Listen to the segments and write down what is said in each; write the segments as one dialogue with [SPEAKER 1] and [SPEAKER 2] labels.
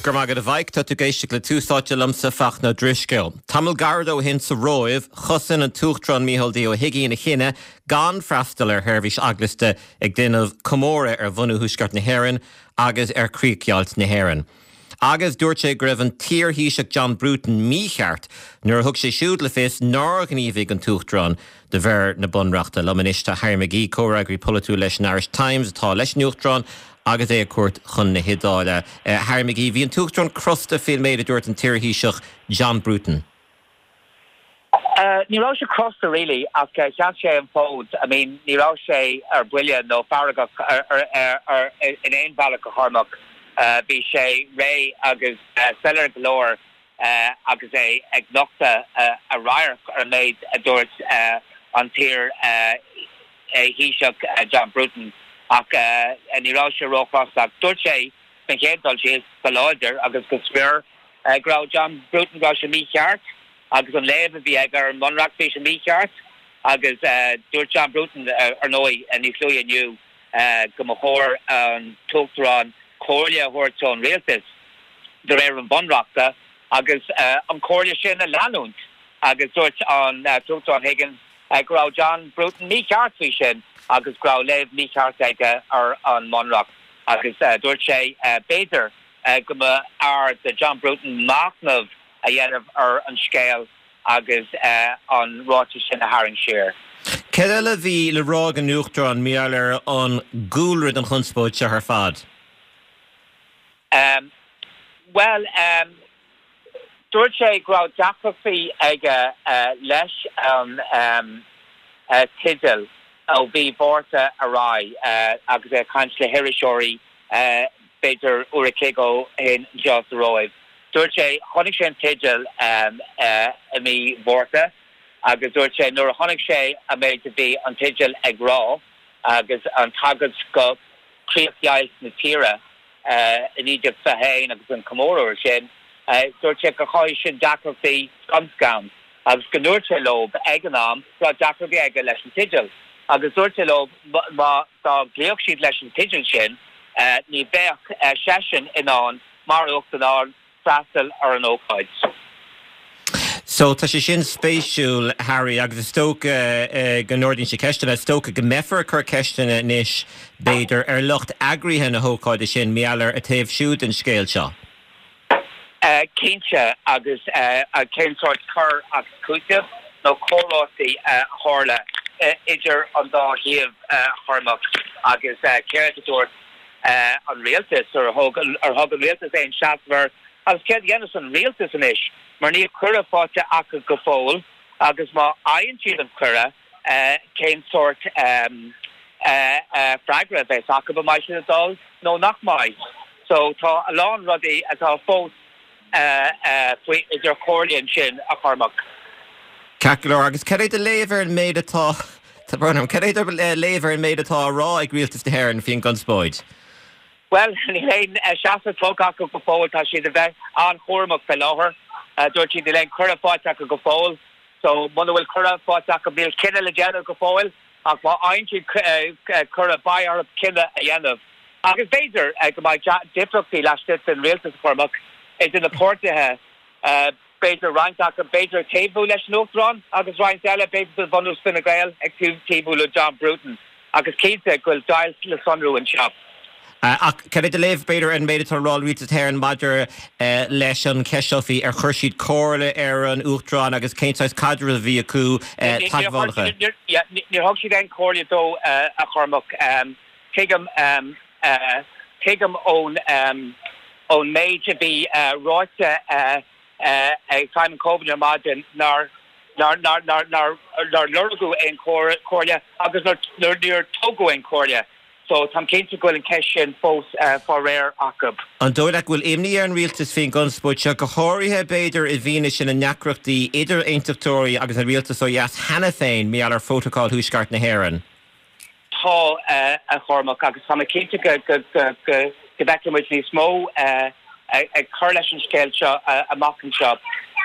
[SPEAKER 1] Go raibh maith agat a Mhaidhc, tá tú ag éisteacht le Tús Áite liomsa, Fachtna Ó Drisceoil. Tamall gairid ó shin sa Róimh, chosain an tUachtarán Micheál D Ó hUigínn a chinneadh gan freastal ar sheirbhís eaglasta ag déanamh comóradh ar bhunú Thuaisceart na hÉireann agus ar chríochdheighilt na hÉireann. Agus dúirt sé go raibh an t-iar-Thaoiseach John Bruton mícheart nuair a thug sé siúd le fios nár ghníomhaigh an tUachtarán de réir na Bunreachta. Liom anois tá Harry McGee, comhfhreagraí polaitiúil leis an Irish Times atá leis an Uachtarán agus é ar cuairt chun na hIodáile. Harry McGee, bhí an tUachtarán crosta faoin méid a dúirt an t-iar-Thaoiseach John Bruton.
[SPEAKER 2] Ní raibh sé crosta really ach sheas sé an fód. I mean ní raibh sé ar buile nó feargach in aon bhealach a Chormac. Bhí sé réidh agus soiléir go leor agus é ag nochtadh a radharc ar an méid a dúirt an t-iar Thaoiseach John Bruton ach ní raibh sé róchrosta ach dúirt sé sa chéad dul síos go láidir agus go smior go raibh John Bruton go raibh sé mícheart agus an léamh a bhí aige ar an mBunreacht bhí sé mícheart agus dúirt John Bruton ar ndóigh níos luaithe inniu go mba chóir an tUachtarán comhairle a thabhairt ón rialtas de réir an Bhunreachta agus an chomhairle sin a leanúint agus dúirt an tUachtarán Higgins go raibh John Bruton mícheart faoi sin agus go raibh léamh mícheart aige ar an mBunreacht agus dúirt sé b'fhéidir go mba fhearr do John Bruton machnamh a dhéanamh ar an scéal agus an ráiteas sin a tharraingt siar.
[SPEAKER 1] Céard eile a bhí le rá ag an Uachtarán mar gheall ar an gcúlra don chonspóid seo ar fad?
[SPEAKER 2] Bhuel, dúirt sé go raibh deacrachtaí aige leis an teideal ó mhí Mhárta ar aghaidh agus é ag caint le hiriseoirí b'fhéidir uair a chloig ó shin anseo sa Róimh. Dúirt sé, chonaic sé an teideal i mí Mhárta agus dúirt sé nuair a chonaic sé an méid a bhí an teideal ag rá agus an tagairt go críochdheighilt na tíre i 1921 agus an comóradh ar sin, dúirt sé gur chothaigh sin deacrachtaí scun scan agus go ndúirt sé leo ag an am go raibh deacrachtaí aige leis an teideal agus dúirt sé leo má dá gcloífeadh siad leis an teideal sin ní bheadh seisean in ann mar Uachtarán freastal ar an ócáid.
[SPEAKER 1] So, tá sé sin spéisiúil, Harry, agus is dócha go n-ardaíonn sé ceisteanna. Is dócha go mbeifear ag cur ceisteanna anois, b'fhéidir, ar lucht eagraithe na hócáide sin, mar gheall ar a taobh siúd den scéal seo.
[SPEAKER 2] Cinnte, agus cén sórt cur agus cúiteamh nó comhráití a tharla idir an dá thaobh, a Chormac, agus céard a dúirt an rialtas, ar thug an rialtas aon seasamh air agus céard a dhéanfas an rialtas anois mar níl cuireadh faighte acu go fóill agus má fhaigheann siad an cuireadh cén sórt freagra a bheas acu, an mbeidh siad ag dul nó nach mbeidh. So tá a lán rudaí atá fós faoi idir chomhairle ansin, a Chormac.
[SPEAKER 1] Ceart go leor, agus cad é do léamh ar an méid atá, tá brón orm, cad é do léamh ar an méid atá á rá ag Rialtas na hÉireann faoin gconspóid?
[SPEAKER 2] Bhuel, níl aon seasamh tugtha acu go fóill, tá siad a bheith an-chúramach fé láthair. Dúirt siad níl aon cuireadh faighte acu go fóill, so muna bhfuil cuireadh faighte acu níl cinneadh le déanamh go fóill. Ach má fhaigheann siad cuireadh, beidh orthu cinneadh a dhéanamh. Agus b'fhéidir go mbeidh difríochtaí laistigh den rialtas, a Chormac, idir na páirtithe, b'fhéidir roinnt acu b'fhéidir ag taobhú leis an Uachtarán agus roinnt eile, b'fhéidir de bhunús Fine Gael, ag taobhú le John Bruton. Ach is cinnte go bhfuil deighilt le sonrú anseo.
[SPEAKER 1] Ach cad é do léamh, b'fhéidir, ar an méid atá á rá ag Rialtas na hÉireann maidir leis an cheist seo faoi ar chuir siad comhairle ar an Uachtarán agus cén saghas caidreamh a bhí acu,
[SPEAKER 2] teagmhálacha? Níor thug siad aon chomhairle dó, a Chormac. Tuigim, tuigim ón ón méid a bhí ráite ag Simon Coveney ar maidin nár nár nár nár nár lorgadh aon chomhairle agus nár níor tugadh aon chomhairle. So, táim cinnte go bhfuil an cheist sin fós fá réir acu.
[SPEAKER 1] An dóigh leat go bhfuil imní ar an rialtas faoin gconspóid seo, go háirithe, b'fhéidir, i bhfianaise na ndeacrachtaí idir aontachtóirí agus an rialtas ó dheas cheana féin mar gheall ar Phrótacal Thuaisceart na hÉireann?
[SPEAKER 2] Tá, a Chormac, agus tá mé cinnte go bhfeicfidh muid níos mó ag cur leis an scéal seo amach anseo.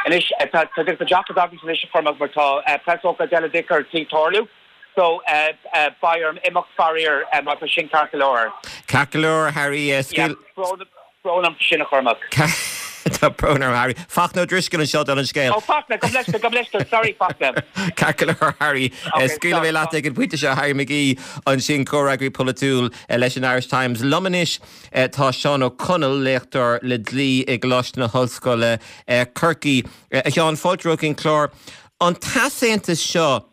[SPEAKER 2] Anois, tá deacracht agamsa anois, a Chormac, mar tá preasócáid eile ar tí tarlú. So, beidh orm imeacht faraor, má tá sin ceart go leor.
[SPEAKER 1] Ceart go leor, Harry.
[SPEAKER 2] Yeah, brón. Brón orm sin a Chormac.
[SPEAKER 1] Tá brón orm Harry. Fachtna Ó Drisceoil anseo dála an scéil.
[SPEAKER 2] Ó Fachtna, gabh mo leithscéal, gabh mo leithscéal, sorry Fachtna.
[SPEAKER 1] Ceart go leor Harry. Scaoilfidh mé leat ag an bpointe seo Harry McGee ansin comhfhreagraí polaitiúil leis an Irish Times. Liom anois tá Seán Ó Conaill, léachtóir le dlí i gColáiste na hOllscoile, Corcaigh. A Sheáin, fáilte romhat chuig an chlár. An t-easaontas seo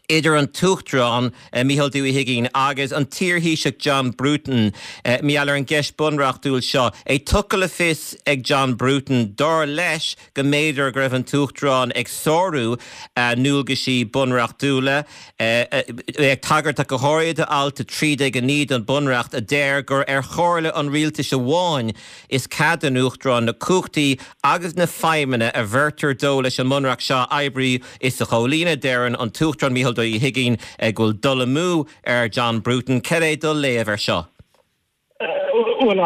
[SPEAKER 1] idir an tUachtarán, Micheál D. Uí Huigínn, agus an t-iarThaoiseach John Bruton mar gheall ar an gceist bunreachtúil seo. É tugtha le fios ag John Bruton, dar leis, go mb'fhéidir go raibh an tUachtarán ag sárú a ndualgaisí bunreachtúla, é ag tagairt ach go háirithe do alt 13 9 den Bhunreacht a deir gur ar chomhairle an rialtais amháin is cead don Uachtarán na cumhachtaí agus na feidhmeanna a bheirtear dó leis an mBunreacht seo a oibriú is a chomhlíonadh. Deireann an tUachtarán Micheál D. Uí Huigínn go bhfuil dul amú ar John Bruton. Cad é do léamh air seo?
[SPEAKER 3] Bhuel,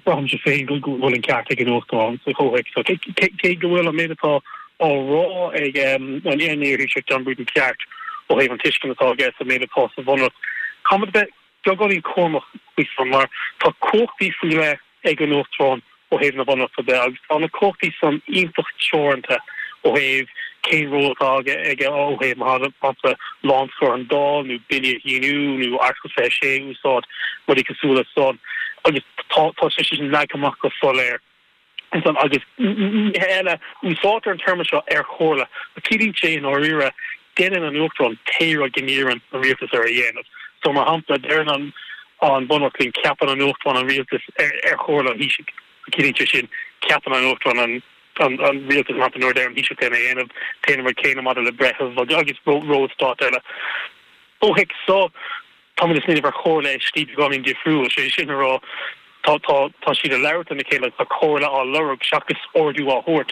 [SPEAKER 3] braithimse féin go bhfuil an ceart ag an Uachtarán sa chomhthéacs seo. Cé go bhfuil an méid atá á rá ag an iar-Thaoiseach John Bruton ceart ó thaobh an tuiscint atá aige sa méid atá sa Bhunreacht, caithfimid a bheith beagáinín cúramach faoi san mar tá cumhachtaí faoi leith ag an Uachtarán ó thaobh na Bunreachta de agus tá na cumhachtaí san iontach teoranta ó thaobh cén ról atá aige ó thaobh, mar shampla, lánscor an Dáil nó billí a shíniú nó Article 26 a úsáid, rudaí cosúil le san agus tá tá sé sin leagtha amach go soiléir ansan agus nithe eile. Úsáidtear an téarma seo ar chomhairle ach ciallaíonn sé i ndáiríre déanann an Uachtarán pé rud go n-iarrann an rialtas air a dhéanamh. So mar shampla, deireann an an Bunreacht linn ceapann an Uachtarán an rialtas ar ar chomhairle an Thaoisigh. So ciallaíonn sé sin ceapann an Uachtarán an an an rialtas mar shampla nuair a deir an Taoiseach é a dhéanamh. Téann an rud céanna maidir le breitheamh agus ról stáit eile. Ó thaobh so. Táimid ag smaoineamh ar chomhairle i slí beagáinín difriúil, sé sin a rá, tá, tá, tá siad ag labhairt lena chéile agus tá comhairle á lorg seachas ordú á thabhairt.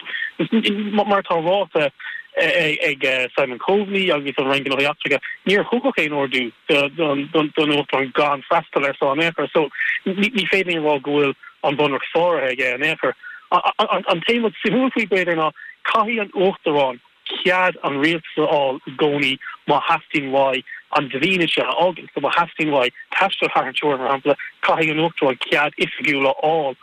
[SPEAKER 3] Mar atá ráite ag Simon Coveney agus an Roinn Gnóthaí Eachtracha, níor thugadh aon ordú don Uachtarán gan freastal air so in aon chor. So ní féidir linn a rá go bhfuil an Bunreacht sáraithe aige in aon chor. An t-aon rud suimiúil faoi, b'fhéidir, ná caithfidh an Uachtarán cead an rialtais a fháil i gcónaí má theastaíonn uaidh an dlínse a fhágaint. So má theastaíonn uaidh taisteal thar an teorainn, mar shampla, caithfidh an Uachtarán cead oifigiúil a fháil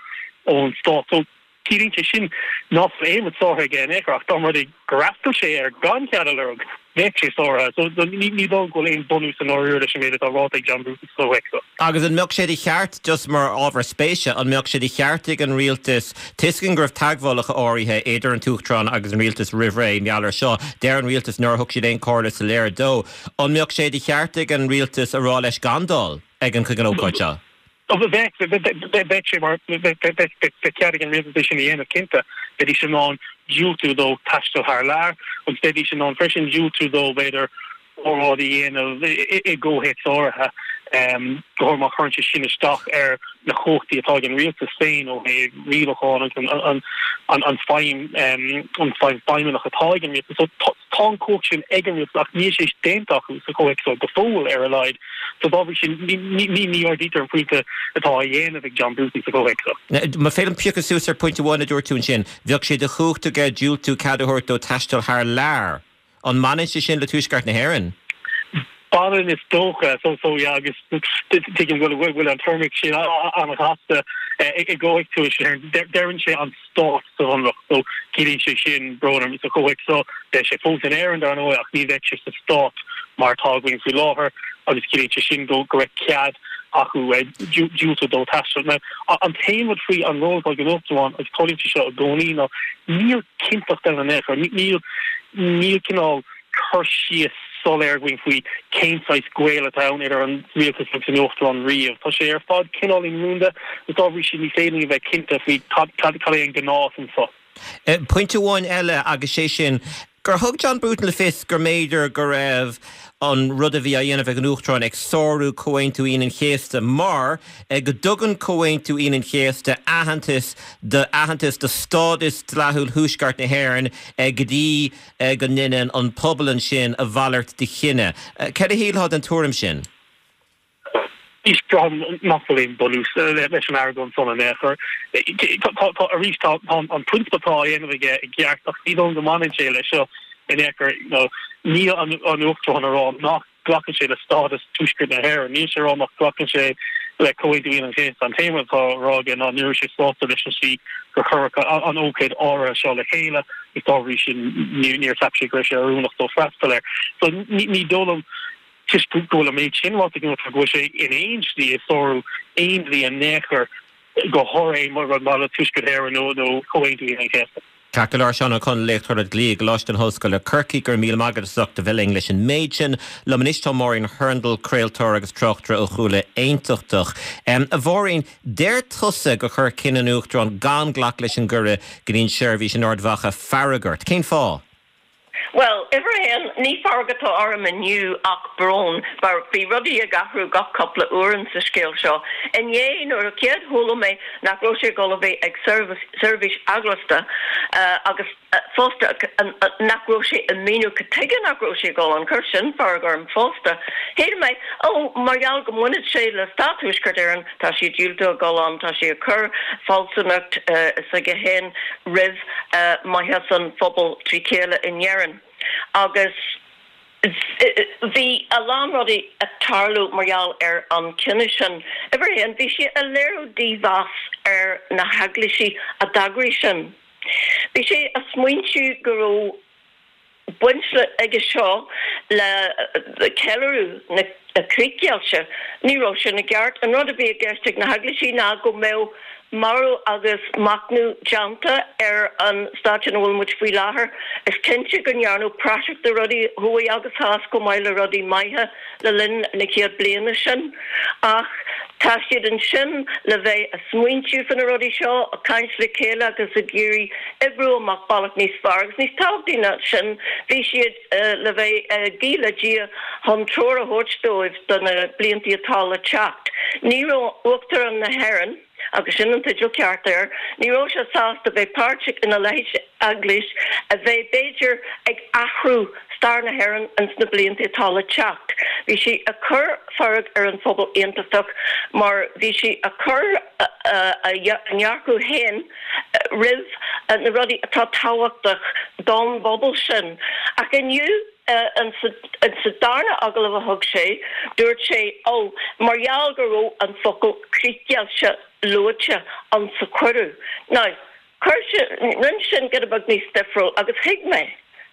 [SPEAKER 3] ón stát. So ciallaíonn sé sin nach bhfuil aon rud sáraithe aige in aon chor ach dá mba rud é gur fhreastail sé air gan cead a lorg, bheadh sé sáraithe. So ní dóigh go bhfuil aon bunús i ndáiríre leis an méid atá ráite ag John Bruton sa chomhthéacs seo.
[SPEAKER 1] Agus an mbeadh sé de cheart, just mar ábhar spéise, an mbeadh sé de cheart ag an rialtas, tuigim go raibh teagmhálacha áirithe idir an tUachtarán agus an rialtas roimh ré mar gheall air seo, deir an rialtas nár thug siad aon chomhairle soiléir dó, an mbeadh sé de cheart ag an rialtas a rá leis gan dul ag an chuig an ócáid seo?
[SPEAKER 3] Bheadh, bheadh sé mar, bheadh cead ag an rialtas é sin a dhéanamh, cinnte. Bheidís in ann diúltú dó taisteal thar lear agus bheidís in ann freisin diúltú dó, b'fhéidir, óráid a dhéanamh i gcomhthéacs áirithe, go háirithe má chuireann sé sin isteach ar na cumhachtaí atá ag an rialtas féin ó thaobh rialacháin agus an feidhm an feidhm feidhmeannach atá ag an rialtas. So tá an cumhacht sin ag an rialtas ach níl sé déanta acu sa chomhthéacs seo go fóill ar a laghad. So dá bhrí sin ní ní ardaítear an pointe atá á dhéanamh ag John Bruton sa chomhthéacs
[SPEAKER 1] seo. Más féidir liom piocadh suas ar phointe amháin a dúirt tú ansin, bheadh sé de chumhacht aige diúltú cead a thabhairt dó taisteal thar lear. An mbaineann sé sin le Tuaisceart na hÉireann?
[SPEAKER 3] Baineann is dócha. So, so yeah, agus tuigim go bhfuil an téarma sin an-chasta i gcomhthéacs Tuaisceart na hÉireann. Deireann sé an stát sa Bhunreacht, so ciallaíonn sé sin, brón orm, sa chomhthéacs seo, beidh sé fós in Éirinn dar ndóigh ach ní bheidh sé sa stát mar atá againn faoi láthair agus ciallaíonn sé sin go go raibh cead acu diúltú dó taisteal. Now, an t-aon rud faoi an ról atá ag an Uachtarán, agus tarlaíonn sé seo i gcónaí, ná níl cinnteacht ann in aon chor. Níl níl cineál cur síos soiléir againn faoi cén saghas gaol atá ann idir an rialtas agus an Uachtarán riamh. Tá sé ar fad cineáilín rúnda agus dá bhrí sin ní féidir linn a bheith cinnte faoi cad cad cad é an gnás
[SPEAKER 1] anseo. Pointe amháin eile agus sé sin gur thug John Bruton le fios go mb'fhéidir go raibh an rud a bhí á dhéanamh ag an Uachtarán ag sárú Comhaontú Aoine an Chéasta mar go dtugann Comhaontú Aoine an Chéasta aitheantas do aitheantas do stádas dleathúil Thuaisceart na hÉireann go dtí go ndéanann an pobal ansin a mhalairt de chinneadh. Cad a shílfeá den tuairim sin?
[SPEAKER 3] Arís, braithim nach bhfuil aon bunús leis an argóint san in aon chor. Tá, arís, tá an prionsabal atá á dhéanamh aige i gceart ach ní dóigh liom go mbaineann sé leis seo in aon chor. Níl an Uachtarán ag rá nach. glacann sé le stádas Tuaisceart na hÉireann. Níl sé ag rá nach nglacann sé. Le Comhaontú Aoine an Chéasta, an t-aon rud atá á rá aige ná ní raibh sé sásta leis an slí gur cuireadh an ócáid áirithe seo le chéile agus dá bhrí sin níor cheap sé go raibh sé oiriúnach dó freastal air. So ní dóigh liom, toisc go bhfuil an méid sin ráite ag an Uachtarán, go bhfuil sé in aon slí ag sárú aon dlí in aon chor, go háirithe aon rud maidir le Tuaisceart Éireann nó Comhaontú Aoine an Chéasta.
[SPEAKER 1] Ceart go leor, Seán Ó Conaill, Léachtóir le Dlí i gColáiste na hOllscoile, Corcaigh, go raibh míle maith agat as ucht a bheith linn leis an méid sin. Liom anois tá Máirín Hurndall, craoltóir agus tráchtaire ó chúla aontachtach. A Mháirín, deir tusa gur chuir cinneadh an Uachtaráin gan glacadh leis an gcuireadh go dtí an tseirbhís in Ard Mhacha fearg ort. Cén fáth?
[SPEAKER 4] Bhuel, uimhir a haon, ní fearg atá orm inniu ach brón, mar bhí rudaí ag athrú gach cúpla uair in sa scéal seo. Inné, nuair a chéad chuala mé nach raibh sé ag dul a bheith ag seirbhís eaglasta agus fosta nach raibh sé ag míniú cad tuige nach raibh sé ag dul ann, chuir sin fearg orm fosta. Shíl mé, ó, mar gheall go mbaineann sé le Stát Thuaisceart Éireann, tá sé ag diúltú a dhul ann, tá sé ag cur fealsúnacht s'aige féin roimh maitheas an phobail trí chéile in Éirinn. Agus bhí a lán rudaí ag tarlú mar gheall ar an chinneadh sin. Uimhir a haon, bhí sé ag léiriú dímheas ar na heaglaisí a d'eagraigh sin. Bhí sé ag smaointiú go raibh baint aige seo le ceiliúradh na críochdheighilte. Ní raibh sin i gceart. An rud a bhí i gceist ag na heaglaisí ná go mbeadh marú agus machnamh déanta ar an staid ina bhfuil muid faoi láthair. Is cinnte go ndearnadh praiseach de rudaí thuaidh agus theas chomh maith le rudaí maithe le linn na chéad bliana sin. Ach tá siad ansin le bheith ag smaointiú fá na rudaí seo, ag caint le chéile agus ag iarraidh oibriú amach bealach níos fearr. Agus níos tábhachtaí ná sin, bhí siad le bheith ag guí le Dia chun treoir a thabhairt dóibh do na bliantaí atá le teacht. Ní raibh Uachtarán na hÉireann, agus sin an teideal ceart air, ní raibh sé sásta bheith páirteach ina leithéid d'eaglais a bheidh b'fhéidir ag athrú stair na hÉireann ins na blianta atá le teacht. Bhí sé ag cur fearg ar an phobal aontachtach mar bhí sé ag cur a ndearcadh féin roimh na rudaí atá tábhachtach don bpobal sin. Ach inniu, insa darna agallamh a thug sé, dúirt sé, ó, mar gheall go raibh an focal críochdheighilt luaite insa chuireadh. Now, Chuir sé, rinne sin giota beag níos difriúil agus thuig mé,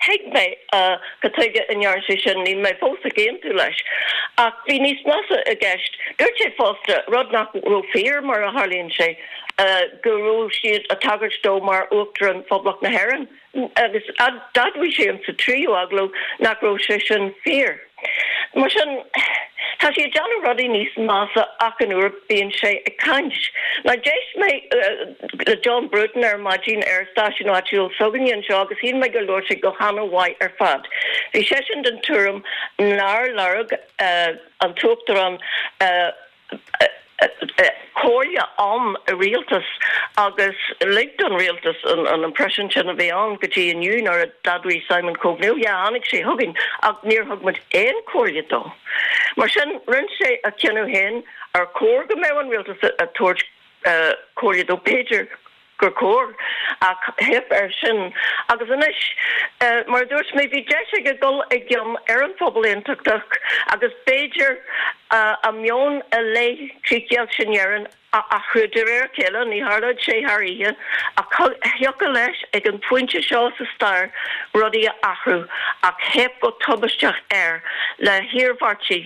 [SPEAKER 4] thuig mé cad tuige a ndearna sé sin, níl mé fós ag aontú leis. Ach bhí níos measa i gceist. Dúirt sé fosta, rud nach raibh fíor mar a tharlaíonn sé, go raibh siad ag tagairt dó mar Uachtarán Phoblacht na hÉireann agus d'admhaigh sé insa tríú agallamh nach raibh sé sin fíor. Mar sin, tá sé ag déanamh rudaí níos measa achan uair bíonn sé ag caint. Now d'éist mé le John Bruton ar maidin ar stáisiún áitiúil s'againne anseo agus shíl mé gur labhair sé go hana-mhaith ar fad. Bhí seisean den tuairim nár lorg an tUachtarán comhairle ón rialtas agus lig don rialtas an impression sin a bhí ann go dtí inniu nuair a d'admhaigh Simon Coveney, oh yeah, tháinig sé chugainn ach níor thug muid aon chomhairle dó. Mar sin, rinne sé a chinneadh féin ar chóir go mbeadh an rialtas ag tabhairt comhairle dó, b'fhéidir. gur chóir, ach theip air sin. Agus anois, mar a dúirt mé, bhí deis aige dul i gcion ar an phobal aontachtach agus b'fhéidir a meon i leith críochdheighilt in Éirinn a athrú de réir a chéile, ní tharlóidh sé thar oíche, ach thiocfadh leis ag an phointe seo sa stair rudaí a athrú, ach theip go tubaisteach air le hiarmhairtí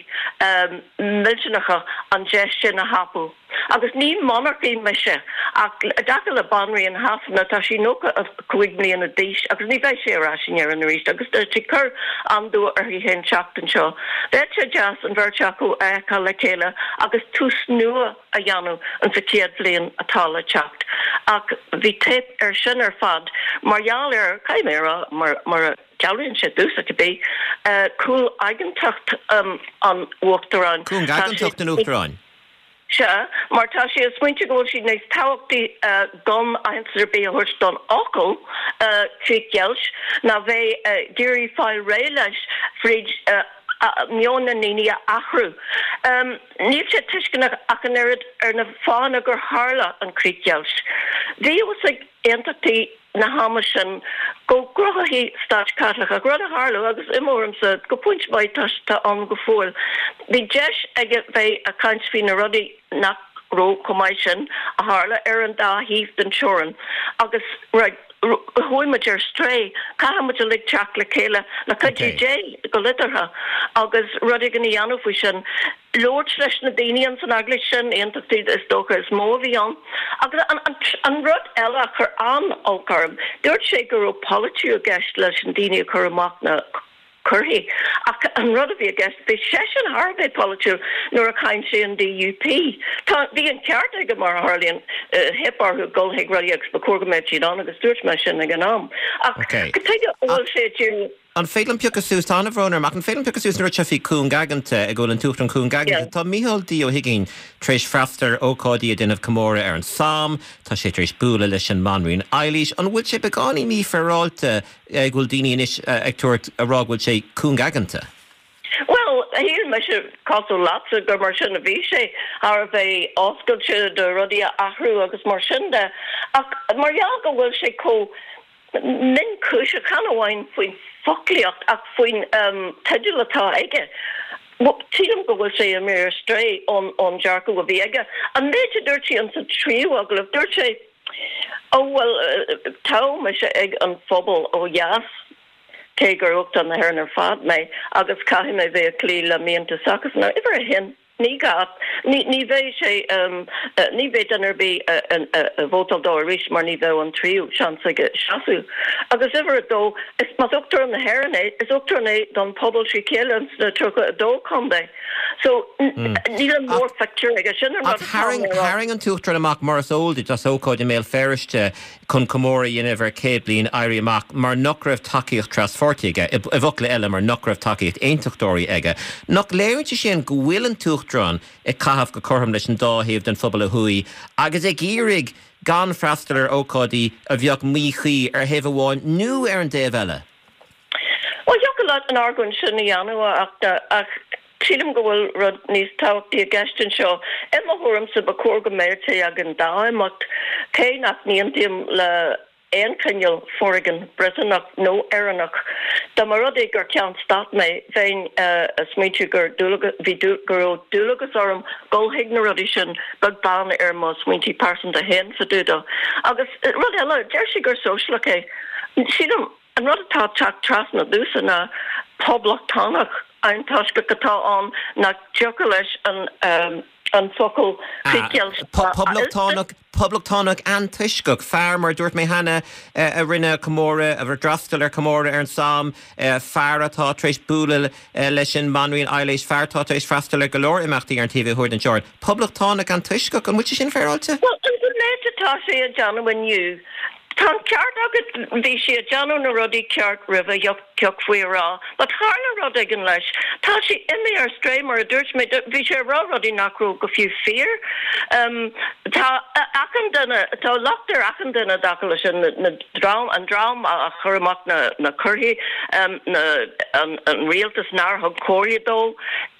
[SPEAKER 4] millteanacha an deis sin a thapú. Agus ní monarcaí mise, ach i dtaca le Banríon Shasana, tá sí 95 mbliana d'aois agus ní bheidh sí ar ais in Éirinn arís agus tá sí ag cur an-dua uirthi féin teacht anseo. Bheadh sé deas an bheirt acu a fheiceáil le chéile agus tús nua a dhéanamh insa chéad bhliain atá le teacht. Ach bhí teip air sin ar fad mar gheall ar, caithfidh mé a rá, mar a dealraíonn sé domhsa cibé, cúngaigeantacht an Uachtaráin.
[SPEAKER 1] Cúngaigeantacht an Uachtaráin?
[SPEAKER 4] Sea, mar tá sé ag smaointiú go bhfuil sé níos tábhachtaí gan aitheantas ar bith a thabhairt don fhocal críochdheighilt ná bheith ag iarraidh fáil réidh leis fríd meon na ndaoine a athrú. Níl sé tuisceanach ach an oiread ar na fáthanna gur tharla an chríochdheighilt. Bhí a fhios ag aontachtaithe na hama sin. Go gcruthófaí stát Caitliceach, rud a tharla agus i mo thuairimse, go pointe maith tá tá ann go fóill. Bhí deis aige bheith ag caint faoi na rudaí nach raibh chomh maith sin a tharla ar an dá thaobh den teorainn agus right, chuaigh muid ar strae, caithfidh muid uilig teacht le chéile le cuidiú Dé go liteartha agus rud éigin a dhéanamh faoi sin. labhairt leis na daoine ins an eaglais sin, aontachtaí is dócha is mó a bhí ann. Agus an rud eile a chuir an-olc orm, dúirt sé go raibh polaitiú i gceist leis na daoine a chuir amach na comharthaí. Ach an rud a bhí i gceist, bhí seisean thar a bheith polaitiúil nuair a cháin sé an DUP. Tá, bhí an ceart aige mar a tharlaíonn, theip orthu dul chuig rudaí agus ba chóir go mbeadh siad ann agus dúirt mé sin ag an am. Ach tuige a bhfuil sé ag díriú.
[SPEAKER 1] An féidir liom piocadh suas, tá an-bhrón orm, ach an féidir liom piocadh suas an rud seo faoi cúngaigeanta, go bhfuil an tUachtarán cúngaigeanta? Tá Micheál D. Ó hUigínn tar éis freastal ar ócáidí ag déanamh comóradh ar an Somme, tá sé tar éis bualadh leis an mBanríon Eilís. An bhfuil sé beagáinín mífhéaráilte go bhfuil daoine anois ag tabhairt, ag rá go bhfuil sé cúngaigeanta?
[SPEAKER 4] Bhuel, shíl mise, cosúil leatsa, gur mar sin a bhí sé, thar a bheith oscailte do rudaí a athrú agus mar sin de. Ach mar gheall go bhfuil sé chomh. mionchúiseach, chan amháin faoin bhfoclaíocht ach faoin teideal atá aige. Sílim go bhfuil sé imithe ar strae ón dearcadh a bhí aige. An méid a dúirt sé insa tríú agallamh, dúirt sé, Ó bhuel, toghadh mise ag an phobal ó dheas, cé gur Uachtarán na hÉireann ar fad mé, agus caithfidh mé bheith ag cloí le mianta s'acusan. Now, uimhir a haon. Ní gá. Ní bheidh sé, ní bheidh duine ar bith ag vótáil dó arís mar ní bheadh an tríú seans aige seasamh. Agus uimhir a dó, is más Uachtarán na hÉireann é, is Uachtarán é don pobal trí chéile sna 32 contae. So, níl an mórphictiúr aige. Sin an rud
[SPEAKER 1] atá mé a rá. Tharraing an tUachtarán amach, mar is eol duit, as ócáid i mBéal Feirste chun comóradh a dhéanamh ar 100 bliain Éirí Amach mar nach raibh tacaíocht traspháirtí aige, i bhfocla eile, mar nach raibh tacaíocht aontachtóirí aige. Nach léiríonn sé sin go bhfuil an tUachtarán ag caitheamh go cothrom leis an dá thaobh den phobal ó thuaidh agus ag iarraidh gan freastal ar ócáidí a bheadh míchuí ar thaobh amháin nó ar an dtaobh eile?
[SPEAKER 4] Bhuel, thiocfadh leat an argóint sin a dhéanamh, a Fhachtna, ach sílim go bhfuil rud níos tábhachtaí i gceist anseo. I mo thuairimse, ba chóir go mbeadh sé ag an dá imeacht, cé nach n-aontaím le aon chineál foréigean Briotanach nó Éireannach. Dá mba rud é gur ceann stáit mé, bheinn ag smaointiú gur bhí go raibh dualgas orm dul chuig na rudaí sin, beag beann ar mo smaointí pearsanta féin fá dtaobh dó. Agus rud eile, deir sé gur sóisialach é. Sílim. An rud atá ag teacht trasna domhsa ná poblachtánach antoisceach atá ann nach dtiocfadh leis an focal críochdheighilt
[SPEAKER 1] a Poblachtánach, poblachtánach antoisceach, fear, mar a dúirt mé cheana, a rinne comóradh, a d'fhreastail ar chomóradh ar an Somme, fear atá tar éis bualadh leis an mBanríon Eilís, fear atá tar éis freastal ar go leor imeachtaí ar an taobh thiar den teorainn. Poblachtánach antoisceach, an bhfuil sé sin féaráilte?
[SPEAKER 4] Bhuel, an méid atá sé a déanamh inniu, Tá an ceart agat, bhí sé ag déanamh na rudaí ceart roimhe, thiocfaí a rá, but tharla rud éigin leis. Tá sé imithe ar strae, mar a dúirt mé, bhí sé ag rá rudaí nach raibh go fiú fíor. Tá achan duine, tá locht ar achan duine i dtaca leis sin, na dream, an dream a chuir amach na na comharthaí, na, an rialtas nár thug comhairle dó.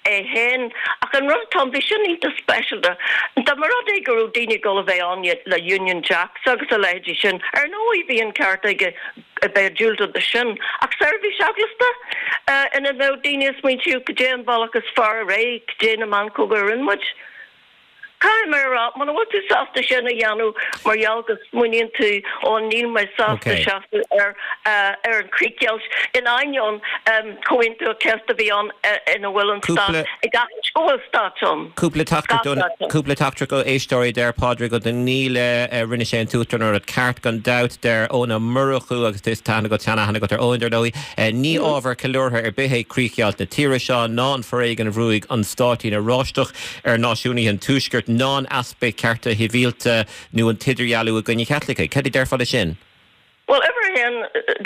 [SPEAKER 4] é féin. Ach an rud atá ann, bhí sin iontach speisialta. Dá mba rud é go raibh daoine ag dul a bheith ann le Union Jacks agus a leithéidí sin, ar ndóigh bhí an ceart aige a bheith ag diúltú do sin. Ach seirbhís eaglasta ina mbeadh daoine ag smaointiú cad é an bealach is fearr ar aghaidh, cad é na meancóga a rinne muid? Caithfidh mé a rá, muna bhfuil tú sásta sin a dhéanamh mar gheall go smaoiníonn tú, ó níl mé sásta seasamh ar ar an chríochdheighilt, in ainneoin Comhaontú an Chéasta a bhí ann ina bhfuil an stát ag aithint go bhfuil stát ann.
[SPEAKER 1] Cúpla teachtaireacht cúpla teachtaireacht ó éisteoirí, deir Pádraig Ó Donnghaile, rinne sé an tUachtarán an rud ceart gan dabht, deir Eoin Ó Murchú agus tá aithne agat, seanaithne agat ar Eoin dar ndóigh, ní ábhar ceiliúrtha ar bith é críochdheighilt na tíre seo ná an foréigean a bhrúigh an stáitín oráisteach ar náisiúnaithe an Tuaiscirt ná an easpa cearta sibhialta nó an t-idirdhealú i gcoinne Chaitlicigh. Cad a déarfá leis sin?
[SPEAKER 4] Bhuel, uimhir a haon,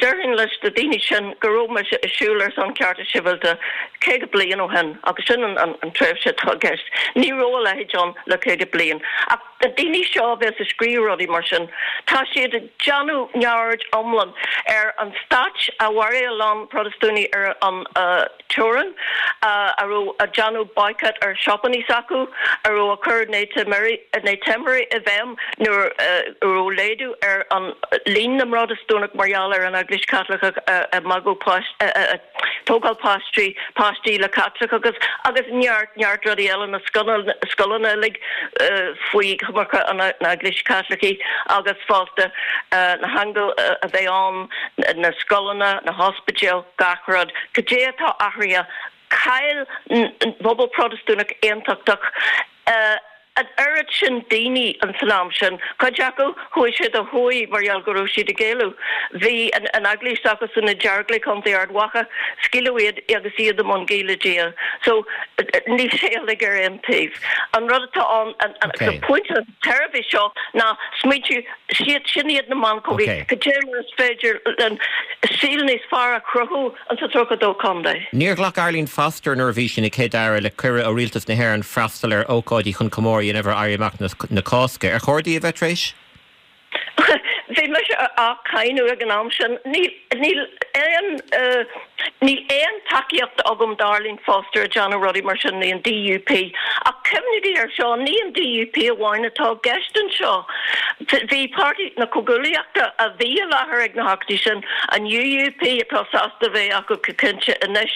[SPEAKER 4] déarfainn leis na daoine sin go raibh mise ag siúl ar son cearta sibhialta 50 bliain ó shin, agus sin an tréimhse atá i gceist. Ní raibh a leithéid ann le 50 bliain. Ach na daoine seo a bheas ag scríobh rudaí mar sin, tá siad ag déanamh neamhaird iomlán ar an stát a mharaigh a lán Protastúnaigh ar an teorainn, a raibh ag déanamh boycott ar siopannaí s'acu, a raibh ag cur ne timire i bhfeidhm nuair a raibh laghdú ar an líon na mProtastúnach. mar gheall ar an Eaglais Chaitliceach ag magadh páistí, ag tógáil páistí, páistí le Caitliceachas agus neart, neart rudaí eile, na scoileanna uilig faoi choimirce an Eaglais Chaitlicigh agus fosta na heangail a bheith ann, na scoileanna, na hospidéil, gach rud. Cad é atá athraithe? Chaill an pobal Protastúnach Aontachtach an oiread sin daoine ins an am sin. Cuid acu, chuaigh siad ó thuaidh mar gheall go raibh siad ag éalú. Bhí an eaglais s'acusan i Dearglaigh, Contae Ard Mhacha, scaoileadh iad agus iad i mbun guí le Dia. So, níl sé uilig ar aon taobh. An rud atá ann, an pointe an tairbhe seo ná smaointiú, siad, sin iad na meancógaí, cad é mar is féidir linn saol níos fearr a chruthú An sa 32 contae.
[SPEAKER 1] Níor ghlac Arlene Foster nuair a bhí sí ina Céad-Aire le cuireadh ó Rialtas na hÉireann freastal ar ócáidí chun comóradh a dhéanamh ar Éirí Amach na Cásca. Ar chóir di a bheith tar éis?
[SPEAKER 4] Bhí mise á cáineadh ag an am sin. Níl níl aon níl aon tacaíocht agam d'Arlene Foster ag déanamh rudaí mar sin, ní an DUP. Ach cuimhnígí air seo, ní an DUP amháin atá i gceist anseo. Bhí Páirtí na Comhghuaillíochta a bhí i láthair ag na hócáidí sin, an UUP atá sásta a bheith acu go cinnte anois,